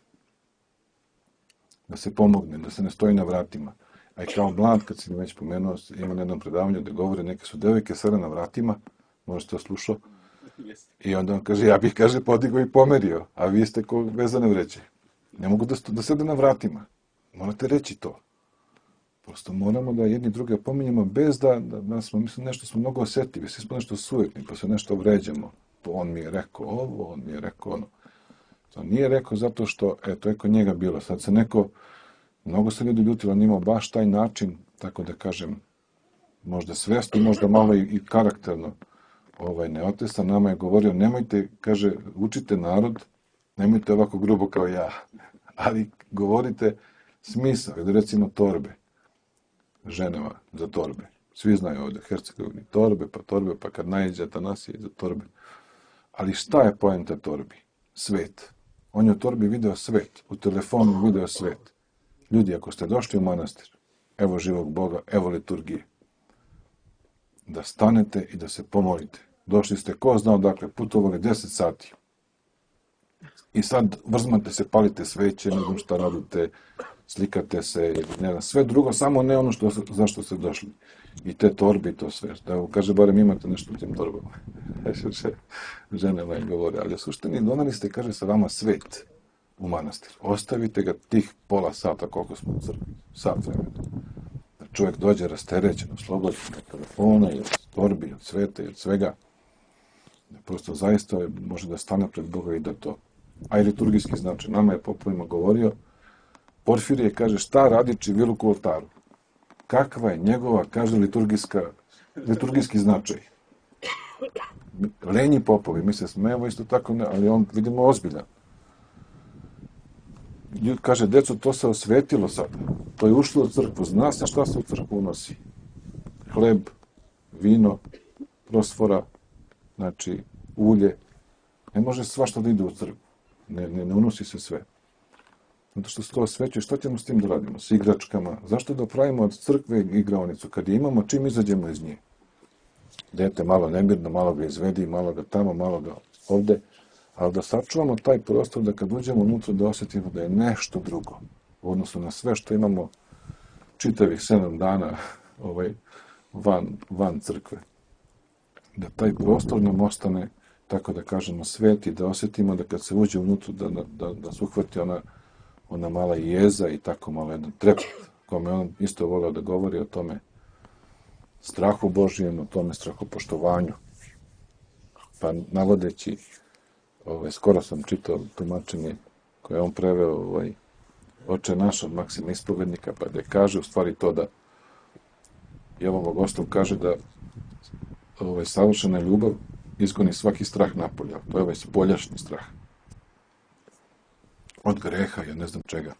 Da se pomogne, da se ne stoji na vratima. A i kao mlad, kad si mi već pomenuo, ima na jednom predavanju da govore, neke su devojke sele na vratima, možda ste slušao, i onda on kaže, ja bih, kaže, podigao i pomerio, a vi ste ko vezane vreće. Ne mogu da, da sede na vratima. Morate reći to. Prosto moramo da jedni druge pominjemo bez da, da, da smo, mislim, nešto smo mnogo osjetljivi, svi smo nešto sujetni, pa se nešto vređamo. To on mi je rekao ovo, on mi je rekao ono. To nije rekao zato što, eto, je kod njega bilo. Sad se neko, mnogo se ljudi ljutilo, on imao baš taj način, tako da kažem, možda svjesno, možda malo i, i karakterno, ovaj, neotesan, nama je govorio, nemojte, kaže, učite narod, nemojte ovako grubo kao ja, ali govorite smisao, da recimo torbe, ženama za torbe. Svi znaju ovdje, Hercegovini, torbe, pa torbe, pa kad najđe Atanasije za torbe. Ali šta je poenta torbi? Svet. On je u torbi video svet, u telefonu video svet. Ljudi, ako ste došli u manastir, evo živog Boga, evo liturgije, da stanete i da se pomolite. Došli ste, ko zna odakle, putovali deset sati. I sad vrzmate se, palite sveće, ne znam šta radite, slikate se, ne znam, sve drugo, samo ne ono što, zašto ste došli. I te torbe i to sve. Da, kaže, barem imate nešto u tim torbama. Žene moje govore, ali u suštini donali ste, kaže, sa vama svet u manastir. Ostavite ga tih pola sata koliko smo u crkvi. Sat vremena. Da čovjek dođe rasterećen, oslobođen od telefona i od torbi, od sveta i od svega. Da prosto zaista može da stane pred Boga i da to. A i liturgijski znači. Nama je popovima govorio, Porfirije kaže, šta radi Čiviluk u oltaru? Kakva je njegova, kaže, liturgijska, liturgijski značaj? Lenji popovi, mi se smijemo isto tako, ne, ali on, vidimo, ozbiljan. Kaže, deco, to se osvetilo sad. To je ušlo u crkvu. Zna se šta se u crkvu unosi. Hleb, vino, prosfora, znači, ulje. Ne može svašta da ide u crkvu. Ne, ne, ne unosi se sve. Zato što se to osvećuje, šta ćemo s tim da radimo? S igračkama. Zašto da pravimo od crkve igraonicu? Kad je imamo, čim izađemo iz nje? Dete malo nemirno, malo ga izvedi, malo ga tamo, malo ga ovde. Ali da sačuvamo taj prostor, da kad uđemo unutra da osjetimo da je nešto drugo. U odnosu na sve što imamo čitavih sedam dana ovaj, van, van crkve. Da taj prostor nam ostane, tako da kažemo, sveti, da osjetimo da kad se uđe unutra, da, da, da se uhvati ona ona mala jeza i tako malo jedan trepet, kome on isto volio da govori o tome strahu Božijem, o tome strahopoštovanju. Pa navodeći, ovaj, skoro sam čitao tumačenje koje on preveo ovaj, Oče naš od Maksima Ispovednika, pa da kaže u stvari to da Jovan Bogostov kaže da ovaj, savršena ljubav izgoni svaki strah napolja. To je ovaj spoljašnji strah. Od greha, ja ne znam čega.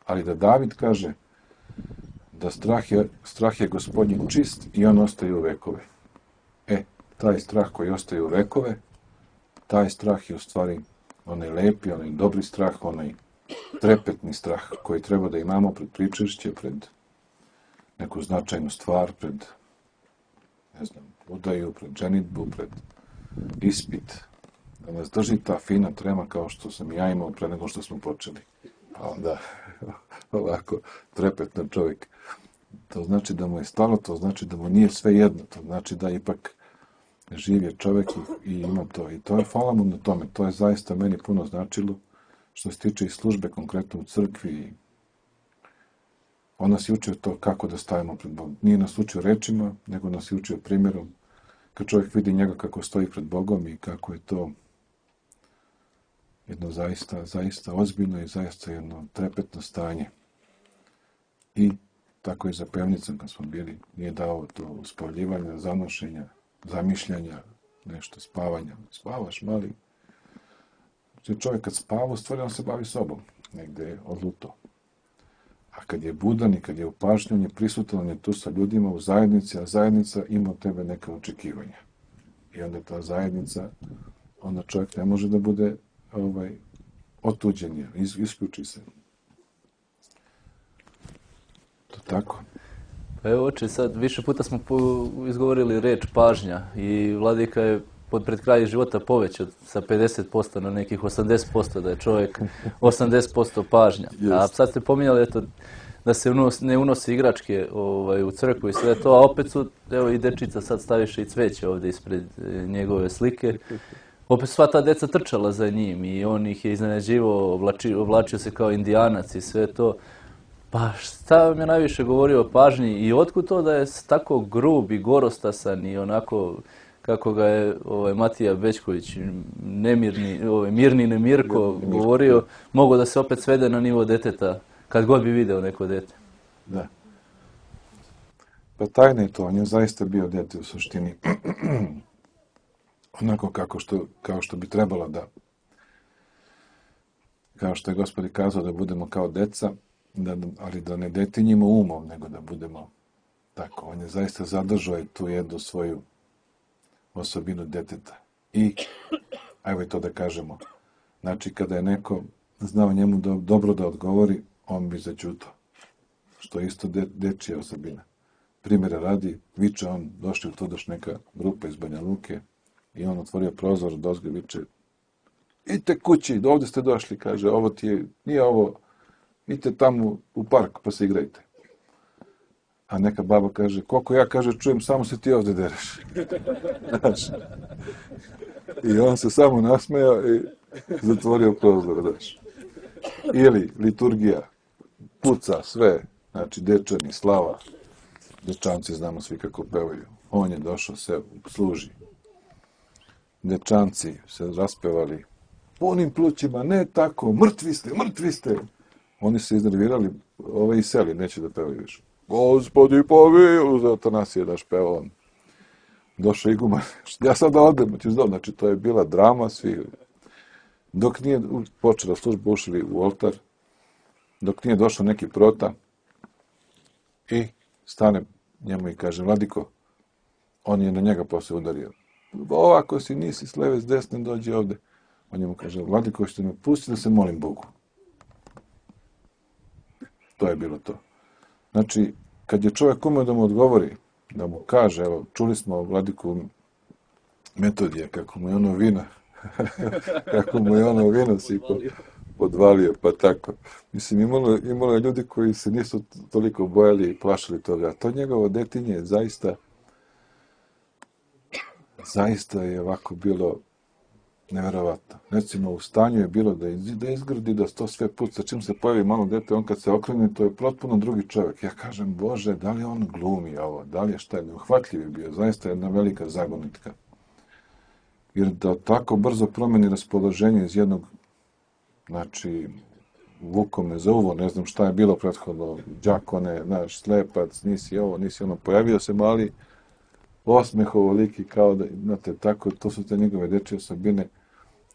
Ali da David kaže da strah je, strah je Gospodnji čist i on ostaje u vekove. E, taj strah koji ostaje u vekove, taj strah je u stvari onaj lepi, onaj dobri strah, onaj trepetni strah koji treba da imamo pred pričešće, pred neku značajnu stvar, pred, ne znam, udaju, pred ženitbu, pred ispit, da nas drži ta fina trema kao što sam ja imao pre nego što smo počeli. Pa onda, ovako, trepetno čovjek. To znači da mu je stalo, to znači da mu nije sve jedno, to znači da ipak živ je čovjek i, i ima to. I to je, hvala mu na tome, to je zaista meni puno značilo, što se tiče i službe konkretno u crkvi. On nas je učio to kako da stavimo pred Bogom. Nije nas učio rečima, nego nas je učio primjerom. Kad čovjek vidi njega kako stoji pred Bogom i kako je to jedno zaista, zaista ozbiljno i zaista jedno trepetno stanje. I tako i za pevnicom kad smo bili, nije dao to uspavljivanja, zanošenja, zamišljanja, nešto spavanja. Spavaš, mali. Znači čovjek kad spava, u stvari on se bavi sobom. Negde je odluto. A kad je budan i kad je u pažnji, on je prisutan, on je tu sa ljudima u zajednici, a zajednica ima od tebe neka očekivanja. I onda ta zajednica, onda čovjek ne može da bude ovaj, otuđen, is, isključi se. To tako. Pa evo, oče, sad više puta smo izgovorili reč pažnja i Vladika je pod pred kraj života povećao sa pedeset posto na nekih osamdeset posto, da je čovjek osamdeset posto pažnja. A sad ste pominjali eto, da se unos, ne unosi igračke ovaj, u crkvu i sve to, a opet su, evo i dečica sad staviše i cveće ovdje ispred njegove slike. Opet sva ta deca trčala za njim i on ih je iznenađivao, oblačio, oblačio se kao indijanac i sve to. Pa šta vam je najviše govorio o pažnji i otkud to da je tako grub i gorostasan i onako kako ga je ovaj, Matija Bećković, nemirni, ovaj, mirni nemirko govorio, mogo da se opet svede na nivo deteta, kad god bi video neko dete. Da. Pa tajna je to, on je zaista bio dete u suštini. Onako kako što, kao što bi trebalo da, kao što je Gospod kazao da budemo kao deca, da, ali da ne detinjimo umom, nego da budemo tako. On je zaista zadržao tu jednu svoju osobinu deteta. I, ajmo i to da kažemo, znači kada je neko znao njemu do, dobro da odgovori, on bi zaćutao. Što je isto de, dečija osobina. Primjera radi, viče on, došli u to doš neka grupa iz Banja Luke i on otvorio prozor, dozgo viče, idite kući, ovdje ste došli, kaže, ovo ti je, nije ovo idite tamo u park pa se igrajte. A neka baba kaže, koliko ja, kaže, čujem, samo se ti ovdje dereš. Znaš. I on se samo nasmejao i zatvorio prozor, znaš. Ili liturgija, puca sve, znači dečani, slava, dečanci znamo svi kako pevaju. On je došao, se služi. Dečanci se raspevali punim plućima, ne tako, mrtvi ste, mrtvi ste. Oni se iznervirali, ove i seli, neće da pevaju više. Gospodi pomiluj, za Atanasije daš peva on. Došao iguman, ja sad da odem, ću znam, znači to je bila drama, svi. Dok nije počela služba, ušli u oltar, dok nije došao neki prota i stane njemu i kaže, Vladiko, on je na njega posle udario. Ovako si, nisi s leve, s desne, dođi ovde. On njemu kaže, Vladiko, što me pusti da se molim Bogu. To je bilo to. Znači, kad je čovjek umeo da mu odgovori, da mu kaže, evo, čuli smo Vladiku Metodija, kako mu je ono vino, kako mu je ono vino si podvalio, pa tako. Mislim, imalo, imalo je ljudi koji se nisu toliko bojali i plašili toga. To njegovo detinje je zaista, zaista je ovako bilo neverovatno. Recimo, u stanju je bilo da, iz, da izgradi, da to sve puca. Čim se pojavi malo dete, on kad se okrene, to je potpuno drugi čovjek. Ja kažem, Bože, da li on glumi ovo? Da li je šta? Neuhvatljiv je bio. Zaista je jedna velika zagonitka. Jer da tako brzo promeni raspoloženje iz jednog, znači, vukom me za uvo, ne znam šta je bilo prethodno, đakone, znaš, slepac, nisi ovo, nisi ono, pojavio se mali osmeh ovoliki, kao da, znate, tako, to su te njegove dečje osobine,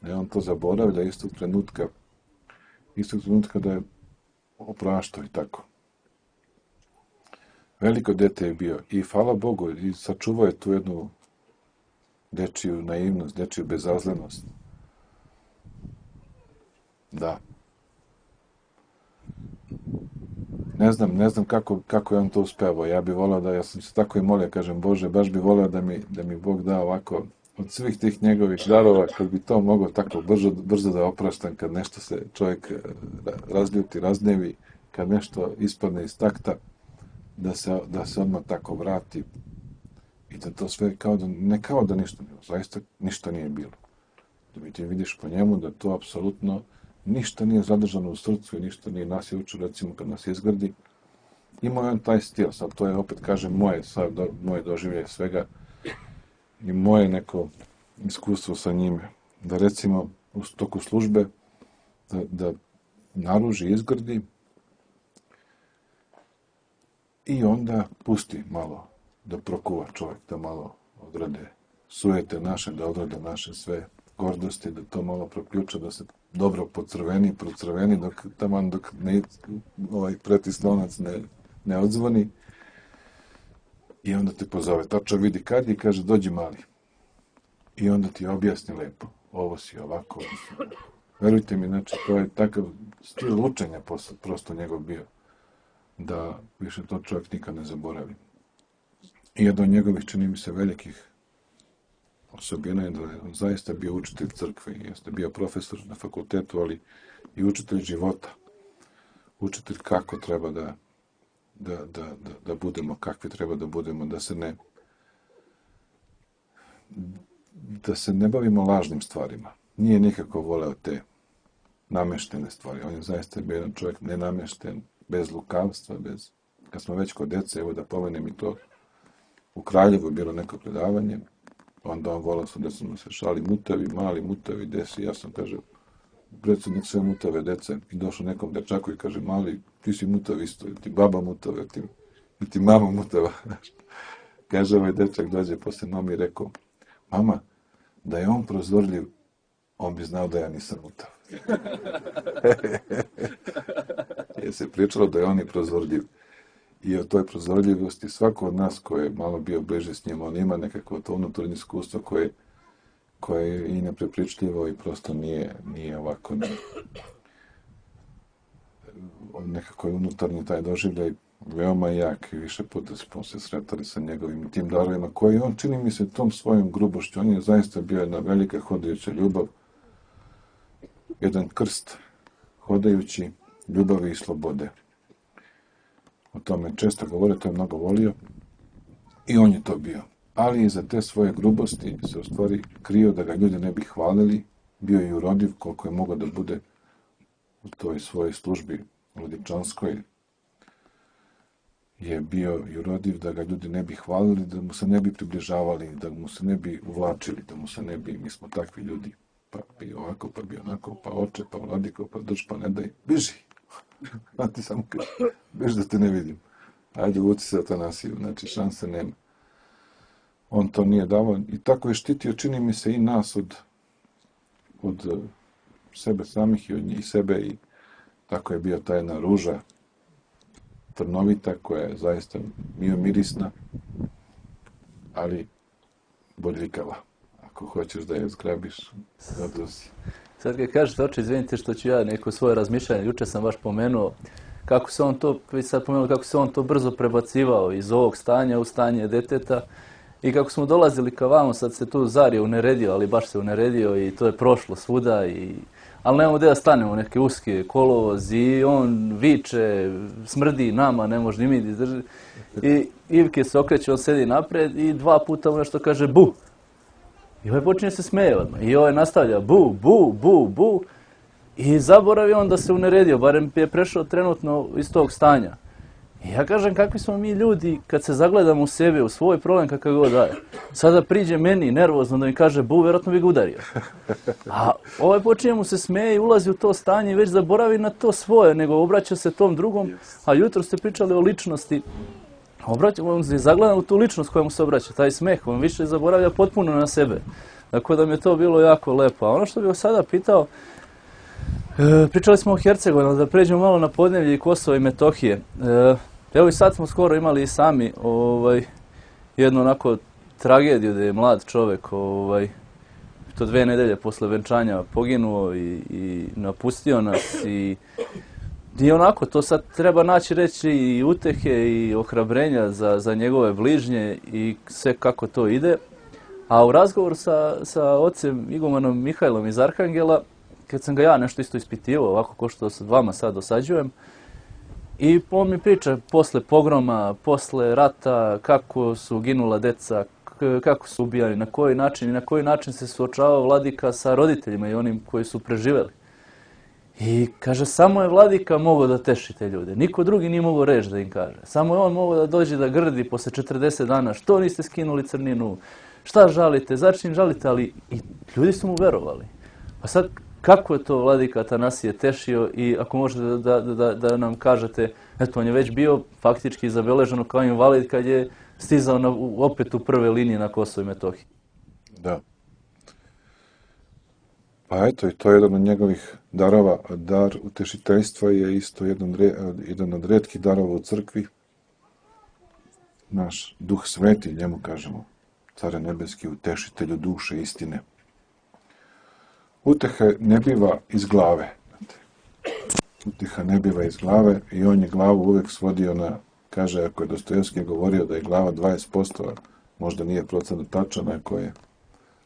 da je on to zaboravlja istog trenutka, istog trenutka da je opraštao i tako. Veliko dete je bio i hvala Bogu, i sačuvao je tu jednu dečiju naivnost, dečiju bezazlenost. Da. Ne znam, ne znam kako, kako je on to uspevao. Ja bih voleo da, ja sam se tako i molio, kažem, Bože, baš bih voleo da mi, da mi Bog da ovako, od svih tih njegovih darova, kad bi to mogao tako brzo, brzo da opraštam, kad nešto se čovjek razljuti, raznevi, kad nešto ispadne iz takta, da se, da se odmah tako vrati i da to sve kao da, ne kao da ništa nije, zaista ništa nije bilo. Da ti vidiš po njemu da to apsolutno ništa nije zadržano u srcu i ništa nije nas je učio, recimo, kad nas izgradi. Imao je on taj stil, sad to je, opet kažem, moje, sad, do, moje doživlje svega i moje neko iskustvo sa njime. Da, recimo, u toku službe, da, da naruži, izgrdi i onda pusti malo da prokuva čovjek, da malo odrade sujete naše, da odrade naše sve gordosti, da to malo proključa, da se dobro pocrveni, procrveni, dok taman dok ne, ovaj pretislonac ne, ne odzvoni. I onda te pozove, tačno vidi kad je i kaže, dođi mali. I onda ti objasni lepo, ovo si ovako. Verujte mi, znači, to je takav stil učenja prosto njegov bio, da više to čovjek nikad ne zaboravi. I jedan od njegovih, čini mi se, velikih osobina je da je on zaista bio učitelj crkve, jeste bio profesor na fakultetu, ali i učitelj života. Učitelj kako treba da, da, da, da, da budemo, kakvi treba da budemo, da se ne da se ne bavimo lažnim stvarima. Nije nikako voleo te nameštene stvari. On je zaista bio jedan čovjek nenamešten, bez lukavstva, bez... Kad smo već kod dece, evo da pomenem i to, u Kraljevu je bilo neko predavanje, onda on volao sa decom se šali, mutavi, mali mutavi, desi, ja sam, kaže, predsjednik sve mutave dece, i došao nekom dečaku i kaže, mali, ti si mutav isto, ti baba mutava, ti, ti mama mutava. Kaže, ovaj dečak dođe posle mami i rekao, mama, da je on prozorljiv, on bi znao da ja nisam mutav. Je se pričalo da je on i prozorljiv. I o toj prozorljivosti svako od nas koji je malo bio bliže s njim, on ima nekako to unutarnje iskustvo koje, koje je i neprepričljivo i prosto nije, nije ovako ne, nekako je unutarnji taj doživljaj veoma jak i više puta smo se sretali sa njegovim tim darovima koji on, čini mi se, tom svojom grubošću, on je zaista bio jedna velika hodajuća ljubav, jedan krst hodajući ljubavi i slobode. O tome često govore, to je mnogo volio i on je to bio. Ali iza te svoje grubosti se u stvari krio da ga ljudi ne bi hvalili, bio je i urodiv koliko je mogao da bude u toj svojoj službi Vladičanskoj, je bio i urodiv da ga ljudi ne bi hvalili, da mu se ne bi približavali, da mu se ne bi uvlačili, da mu se ne bi, mi smo takvi ljudi, pa bi ovako, pa bi onako, pa oče, pa vladiko, pa drž, pa ne daj, biži. A ti samo kaže, biži da te ne vidim. Ajde, uvuci se Atanasiju, znači šanse nema. On to nije davao i tako je štitio, čini mi se, i nas od, od sebe samih i od njih sebe i tako je bio ta jedna ruža trnovita koja je zaista bio mirisna, ali bodljikava. Ako hoćeš da je zgrabiš, odnosi. Sad kad kažete, oče, izvinite što ću ja neko svoje razmišljanje, juče sam baš pomenuo kako se on to, vi sad pomenuo kako se on to brzo prebacivao iz ovog stanja u stanje deteta i kako smo dolazili ka vamo, sad se tu Zar je uneredio, ali baš se uneredio i to je prošlo svuda i ali nemamo gdje da stanemo, neke uske kolovoz i on viče, smrdi nama, ne može ni mi izdržati. I Ivke se okreće, on sedi napred i dva puta mu nešto kaže bu. I ovaj počinje se smeje odmah. I ovaj nastavlja bu, bu, bu, bu. I zaboravi on da se uneredio, barem je prešao trenutno iz tog stanja. I ja kažem, kakvi smo mi ljudi kad se zagledamo u sebe, u svoj problem kakav god daje. Sada priđe meni nervozno da mi kaže bu, vjerojatno bi ga udario. A ovaj počinje mu se smeje i ulazi u to stanje i već zaboravi na to svoje, nego obraća se tom drugom. A jutro ste pričali o ličnosti. Obraća, on se zagleda u tu ličnost koja mu se obraća, taj smeh, on više zaboravlja potpuno na sebe. Tako da mi je to bilo jako lepo. A ono što bih vas sada pitao, e, pričali smo o Hercegovini, da pređemo malo na podneblje i Kosova i Metohije. E, evo i sad smo skoro imali i sami ovaj, jednu onako tragediju da je mlad čovjek ovaj, to dve nedelje posle venčanja poginuo i, i napustio nas i I onako, to sad treba naći reći i utehe i ohrabrenja za, za njegove bližnje i sve kako to ide. A u razgovoru sa, sa ocem igumanom Mihajlom iz Arhangela, kad sam ga ja nešto isto ispitivao, ovako ko što sa vama sad dosađujem, i on mi priča posle pogroma, posle rata, kako su ginula deca, kako su ubijani, na koji način i na koji način se suočavao Vladika sa roditeljima i onim koji su preživeli. I kaže, samo je Vladika mogao da teši te ljude. Niko drugi nije mogao reći da im kaže. Samo je on mogao da dođe da grdi posle četrdeset dana. Što niste skinuli crninu? Šta žalite? Začin žalite? Ali i ljudi su mu verovali. Pa sad, kako je to Vladika Atanasije tešio i ako možete da, da, da, da nam kažete, eto, on je već bio faktički zabeleženo kao invalid kad je stizao na, opet u prve linije na Kosovo i Metohiji. Da. Pa eto, i to je jedan od njegovih darova. Dar utešiteljstva je isto jedan, jedan od retkih darova u crkvi. Naš Duh Sveti, njemu kažemo, Care nebeski, utešitelju duše istine. Uteha ne biva iz glave. Uteha ne biva iz glave i on je glavu uvek svodio na, kaže, ako je Dostojevski govorio da je glava dvadeset posto, možda nije procenat tačan, ako je,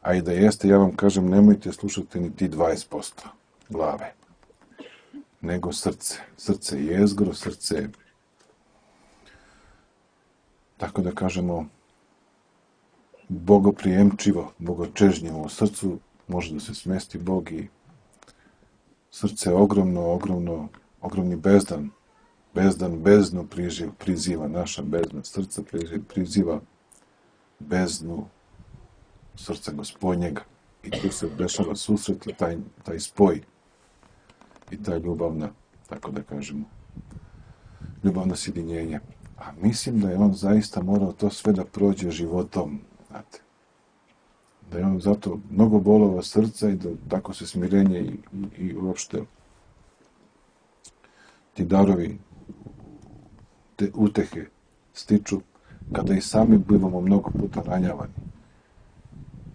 a i da jeste, ja vam kažem, nemojte slušati ni ti dvadeset posto glave, nego srce. Srce je jezgro, srce je, tako da kažemo, bogoprijemčivo, bogočežnjivo. U srcu može da se smesti Bog i srce je ogromno, ogromno, ogromni bezdan. Bezdan beznu priživ, priziva, naša bezna srca priziva, priziva beznu srca Gospodnjega. I tu se dešava susret i taj, taj spoj i ta ljubavna, tako da kažemo, ljubavno sjedinjenje. A mislim da je on zaista morao to sve da prođe životom, znate. Da je on zato mnogo bolova srca i da tako se smirenje i, i, i uopšte ti darovi, te utehe stiču kada i sami bivamo mnogo puta ranjavani.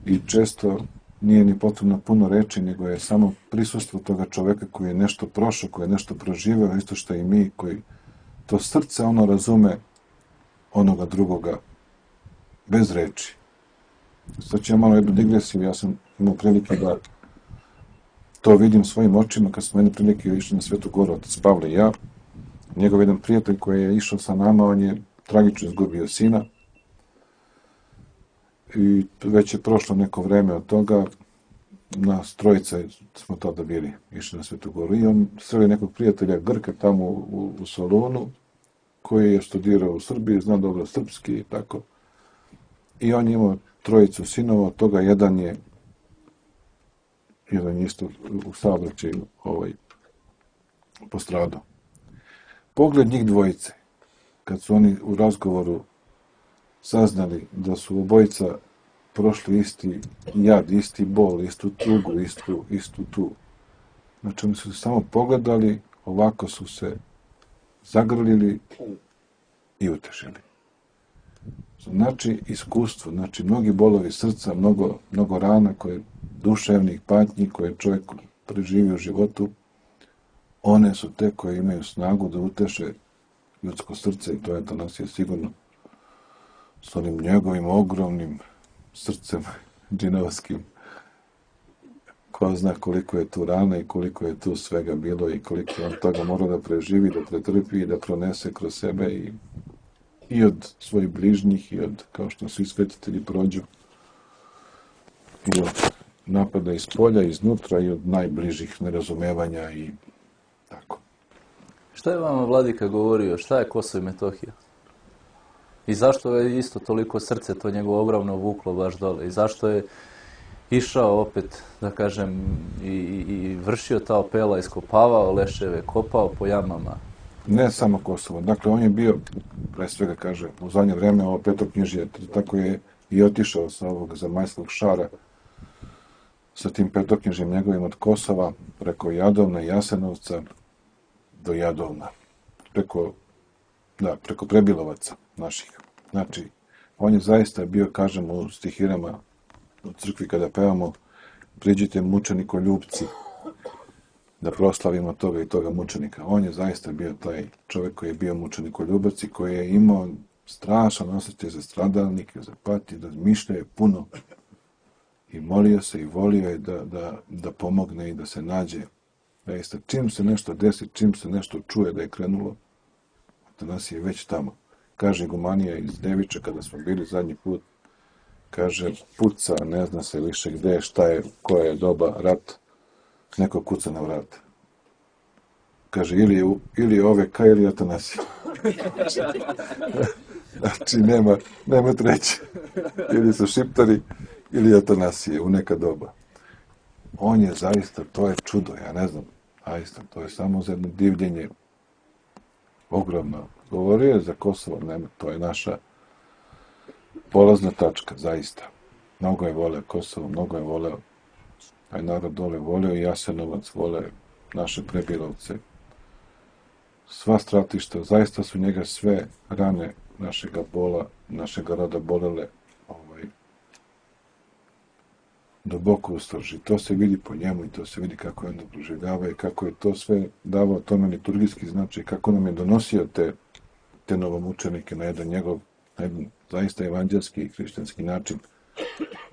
I često nije ni potrebno puno reči, nego je samo prisustvo toga čoveka koji je nešto prošao, koji je nešto proživeo, isto što i mi, koji to srce ono razume onoga drugoga bez reči. Sad ću ja malo jednu digresiju, ja sam imao prilike da to vidim svojim očima kad smo jedne prilike išli na Svetu Goru, otac Pavle i ja. Njegov jedan prijatelj koji je išao sa nama, on je tragično izgubio sina. I već je prošlo neko vreme od toga, nas trojica smo tada bili, išli na Svetu Goru. I on sreli nekog prijatelja Grka tamo u, u Solunu, koji je studirao u Srbiji, zna dobro srpski i tako. I on je imao trojicu sinova, od toga jedan je jedan je isto u saobraćaju ovaj, postradao. Pogled njih dvojice, kad su oni u razgovoru saznali da su obojica prošli isti jad, isti bol, istu tugu, istu, istu tu. Znači, oni su se samo pogledali, ovako su se zagrlili i utešili. Znači, iskustvo, znači, mnogi bolovi srca, mnogo, mnogo rana, koje duševnih patnji koje čovjek preživi u životu, one su te koje imaju snagu da uteše ljudsko srce i to je Atanasije sigurno s onim njegovim ogromnim srcem džinovskim. Ko zna koliko je tu rana i koliko je tu svega bilo i koliko on toga mora da preživi, da pretrpi i da pronese kroz sebe i, i od svojih bližnjih i od, kao što svi svetitelji prođu, i od napada iz polja, iznutra i od najbližih nerazumevanja i tako. Šta je vama Vladika govorio? Šta je Kosovo i Metohija? I zašto je isto toliko srce to njegovo ogromno vuklo baš dole? I zašto je išao opet, da kažem, i, i, i vršio ta opela, iskopavao leševe, kopao po jamama? Ne samo Kosovo. Dakle, on je bio, pre svega kaže, u zadnje vreme ovo petoknjižje, tako je i otišao sa ovog zemaljskog šara, sa tim petoknjižjem njegovim od Kosova, preko Jadovna i Jasenovca do Jadovna. Preko, da, preko Prebilovaca naših. Znači, on je zaista bio, kažemo u stihirama u crkvi kada pevamo, priđite mučenikoljupci, da proslavimo toga i toga mučenika. On je zaista bio taj čovjek koji je bio mučenikoljubac i koji je imao strašan osjećaj za stradalnike, za patnje, da mišlja je puno i molio se i volio je da, da, da pomogne i da se nađe. Zaista, čim se nešto desi, čim se nešto čuje da je krenulo, Atanasije je već tamo. Kaže igumanija iz Deviča, kada smo bili zadnji put, kaže, puca, ne zna se više gde je, šta je, koja je doba, rat, neko kuca na vrat. Kaže, ili je, ili je O V K ili Atanasije. Znači, nema, nema treće. Ili su Šiptari, ili Atanasije u neka doba. On je zaista, to je čudo, ja ne znam, zaista, to je samo za jedno divljenje ogromno. Govorio je za Kosovo, nema, to je naša polazna tačka, zaista. Mnogo je voleo Kosovo, mnogo je voleo taj narod dole, voleo i Jasenovac, voleo naše Prebilovce. Sva stratišta, zaista su njega sve rane našega bola, našega roda bolele, ovaj, duboko u srži. To se vidi po njemu i to se vidi kako je onda proživljava i kako je to sve davao tome liturgijski značaj, kako nam je donosio te, te novomučenike na jedan njegov, na jedan zaista evanđelski i hrišćanski način,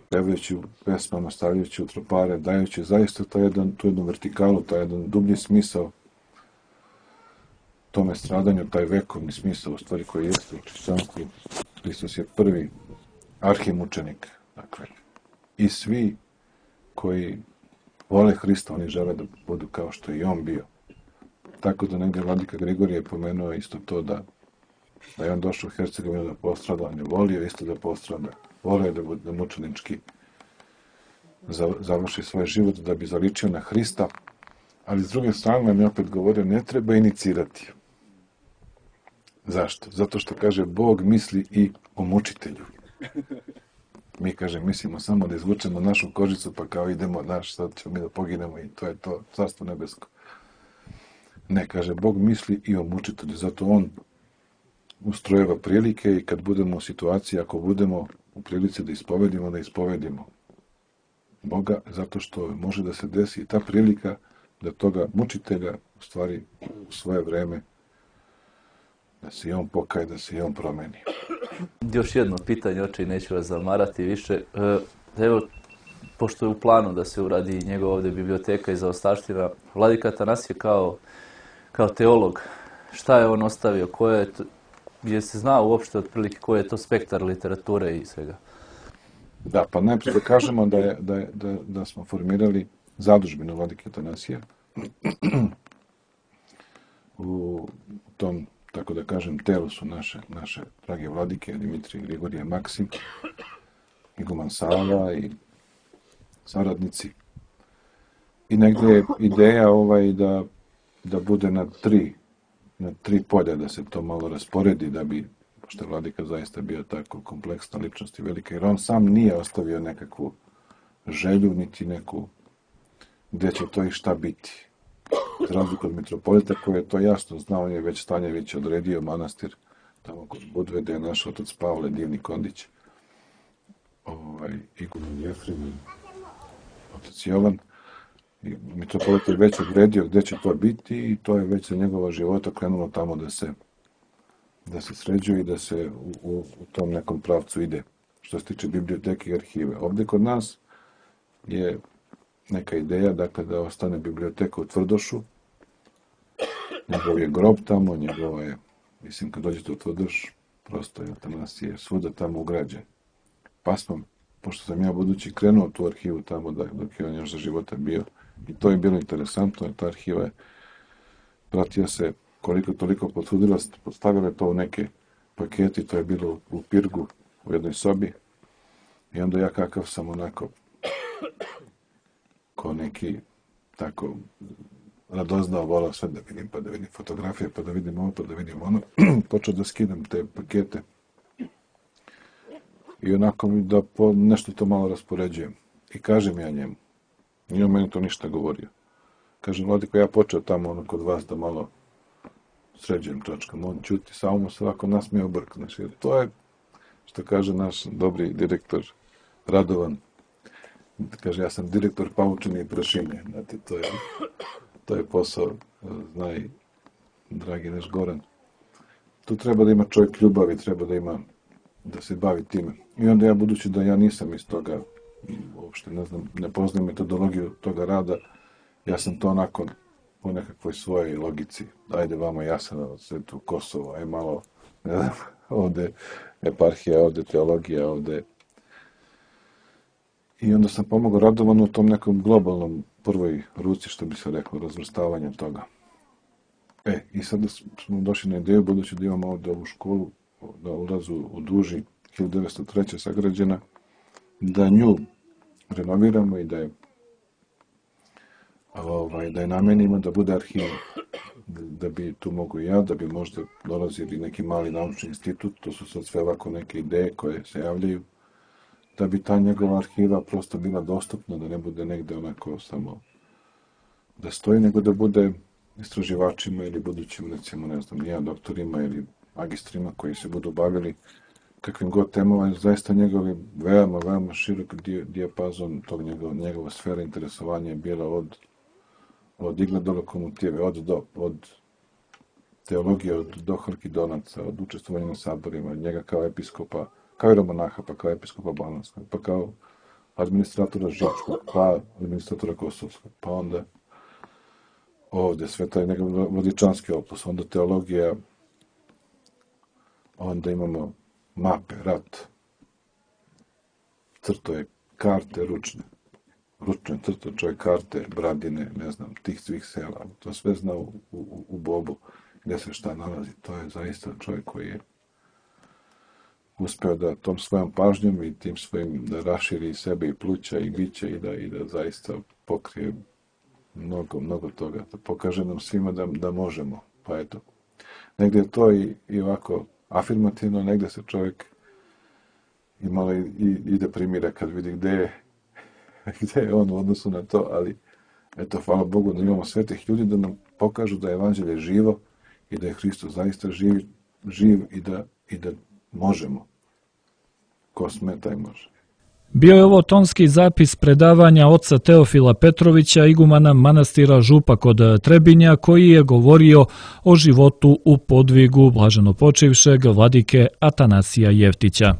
pevajući u pesmama, stavljajući u tropare, dajući zaista taj jedan, tu jednu vertikalu, taj jedan dublji smisao tome stradanju, taj vekovni smisao, u stvari koji jeste u hrišćanstvu. Hristos je prvi arhimučenik, dakle, i svi koji vole Hrista, oni žele da budu kao što je i on bio. Tako da negdje vladika Grigorije je pomenuo isto to da, da je on došao u Hercegovinu da postrada, on je volio isto da postrada, volio da bude da mučenički završi svoj život da bi zaličio na Hrista, ali s druge strane nam je opet govorio, ne treba inicirati. Zašto? Zato što, kaže, Bog misli i o mučitelju. Mi, kaže, mislimo samo da izvučemo našu kožicu, pa kao idemo, naš, sad ćemo mi da poginemo i to je to, carstvo nebesko. Ne, kaže, Bog misli i o mučitelju, zato on ustrojeva prilike i kad budemo u situaciji, ako budemo u prilici da ispovedimo, da ispovedimo Boga, zato što može da se desi i ta prilika da toga mučitelja, u stvari, u svoje vreme, da se i on pokaje, da se i on promeni. Još jedno pitanje, oče, i neću vas zamarati više. Evo, pošto je u planu da se uradi njegova ovdje biblioteka i zaostavština, vladika Atanasije kao, kao teolog, šta je on ostavio, koje je to, gdje se zna uopšte otprilike koji je to spektar literature i svega? Da, pa najprije da kažemo da, je, da, je, da, da smo formirali zadužbinu vladike Atanasija u tom, tako da kažem, telu su naše, naše drage vladike, Dimitrije, Grigorije, Maksim, iguman Sava i saradnici. I negdje je ideja ovaj da, da bude na tri, na tri polja, da se to malo rasporedi, da bi, pošto je vladika zaista bio tako kompleksna ličnost i velika, jer on sam nije ostavio nekakvu želju, niti neku gdje će to i šta biti. Za razliku od mitropolita koji je to jasno znao, on je već Stanjević odredio manastir tamo kod Budve, gdje je naš otac Pavle, divni Kondić, ovaj, iguman Jefrim i otac Jovan. I mitropolit je već odredio gdje će to biti i to je već za njegova života krenulo tamo da se, da se sređuje i da se u, u, u tom nekom pravcu ide, što se tiče biblioteke i arhive. Ovdje kod nas je neka ideja, dakle, da ostane biblioteka u Tvrdošu. Njegov je grob tamo, njegova je, mislim, kad dođete u Tvrdoš, prosto je Atanasije svuda tamo ugrađen. Pa smo, pošto sam ja budući krenuo u tu arhivu tamo, da, dok je on još za života bio, i to je bilo interesantno, ta arhiva je pratio se koliko toliko potrudila, postavila to u neke paketi, to je bilo u Pirgu, u jednoj sobi, i onda ja kakav sam onako ko neki tako radoznao, volao sve da vidim, pa da vidim fotografije, pa da vidim ovo, pa da vidim ono, počeo da skidam te pakete i onako mi da po nešto to malo raspoređujem. I kažem ja njemu, nije on meni to ništa govorio. Kažem, vladiko, ja počeo tamo ono kod vas da malo sređujem točkama, on čuti, samo mu se ovako nasmije obrk. Znači, to je, što kaže naš dobri direktor Radovan, kaže, ja sam direktor paučine i prašine. Znate, to je, to je posao, znaj, dragi naš Goran. Tu treba da ima čovjek ljubavi, treba da ima, da se bavi time. I onda ja, budući da ja nisam iz toga, uopšte ne znam, ne poznajem metodologiju toga rada, ja sam to onako po nekakvoj svojoj logici. Ajde vamo Jasenovac, sve tu Kosovo, aj malo, ne znam, ovde eparhija, ovde teologija, ovde. I onda sam pomogao Radovanu u tom nekom globalnom prvoj ruci, što bi se reklo, razvrstavanjem toga. E, i sada smo došli na ideju, budući da imamo ovdje ovu školu, na ulazu u Duži, hiljadu devetsto treće sagrađena, da nju renoviramo i da je, ovaj, da je namenimo da bude arhiva. Da bi tu mogu ja, da bi možda dolazili neki mali naučni institut, to su sad sve ovako neke ideje koje se javljaju, da bi ta njegova arhiva prosto bila dostupna, da ne bude negde onako samo da stoji, nego da bude istraživačima ili budućim, recimo, ne znam, ja, doktorima ili magistrima koji se budu bavili kakvim god temama, zaista njegovi veoma, veoma širok dijapazon tog njegov, njegova sfera interesovanja je bila od, od igle do lokomotive, od do, od teologije, od do Halkidonaca, od učestvovanja na saborima, njega kao episkopa, kao i romonaha, pa kao episkopa Banatskog, pa kao administratora Žičkog, pa administratora Kosovskog, pa onda ovdje sve taj nekakav vodičanski opus, onda teologija, onda imamo mape, rat, crtoje, karte ručne, ručne crto čovjek karte, Bradine, ne znam, tih svih sela, to sve zna u, u, u Bobu, gdje se šta nalazi, to je zaista čovjek koji je uspeo da tom svojom pažnjom i tim svojim da raširi sebe i pluća i biće i da, i da zaista pokrije mnogo, mnogo toga, da pokaže nam svima da, da možemo, pa eto. Negdje je to i, i ovako afirmativno, negdje se čovjek i malo i, i, i deprimira kad vidi gdje je, gdje je on u odnosu na to, ali eto, hvala Bogu da imamo svetih ljudi da nam pokažu da je evanđelje živo i da je Hristos zaista živ, živ i da, i da možemo. Ko sme, taj može. Bio je ovo tonski zapis predavanja oca Teofila Petrovića, igumana manastira Župa kod Trebinja, koji je govorio o životu u podvigu blaženopočivšeg vladike Atanasija Jeftića.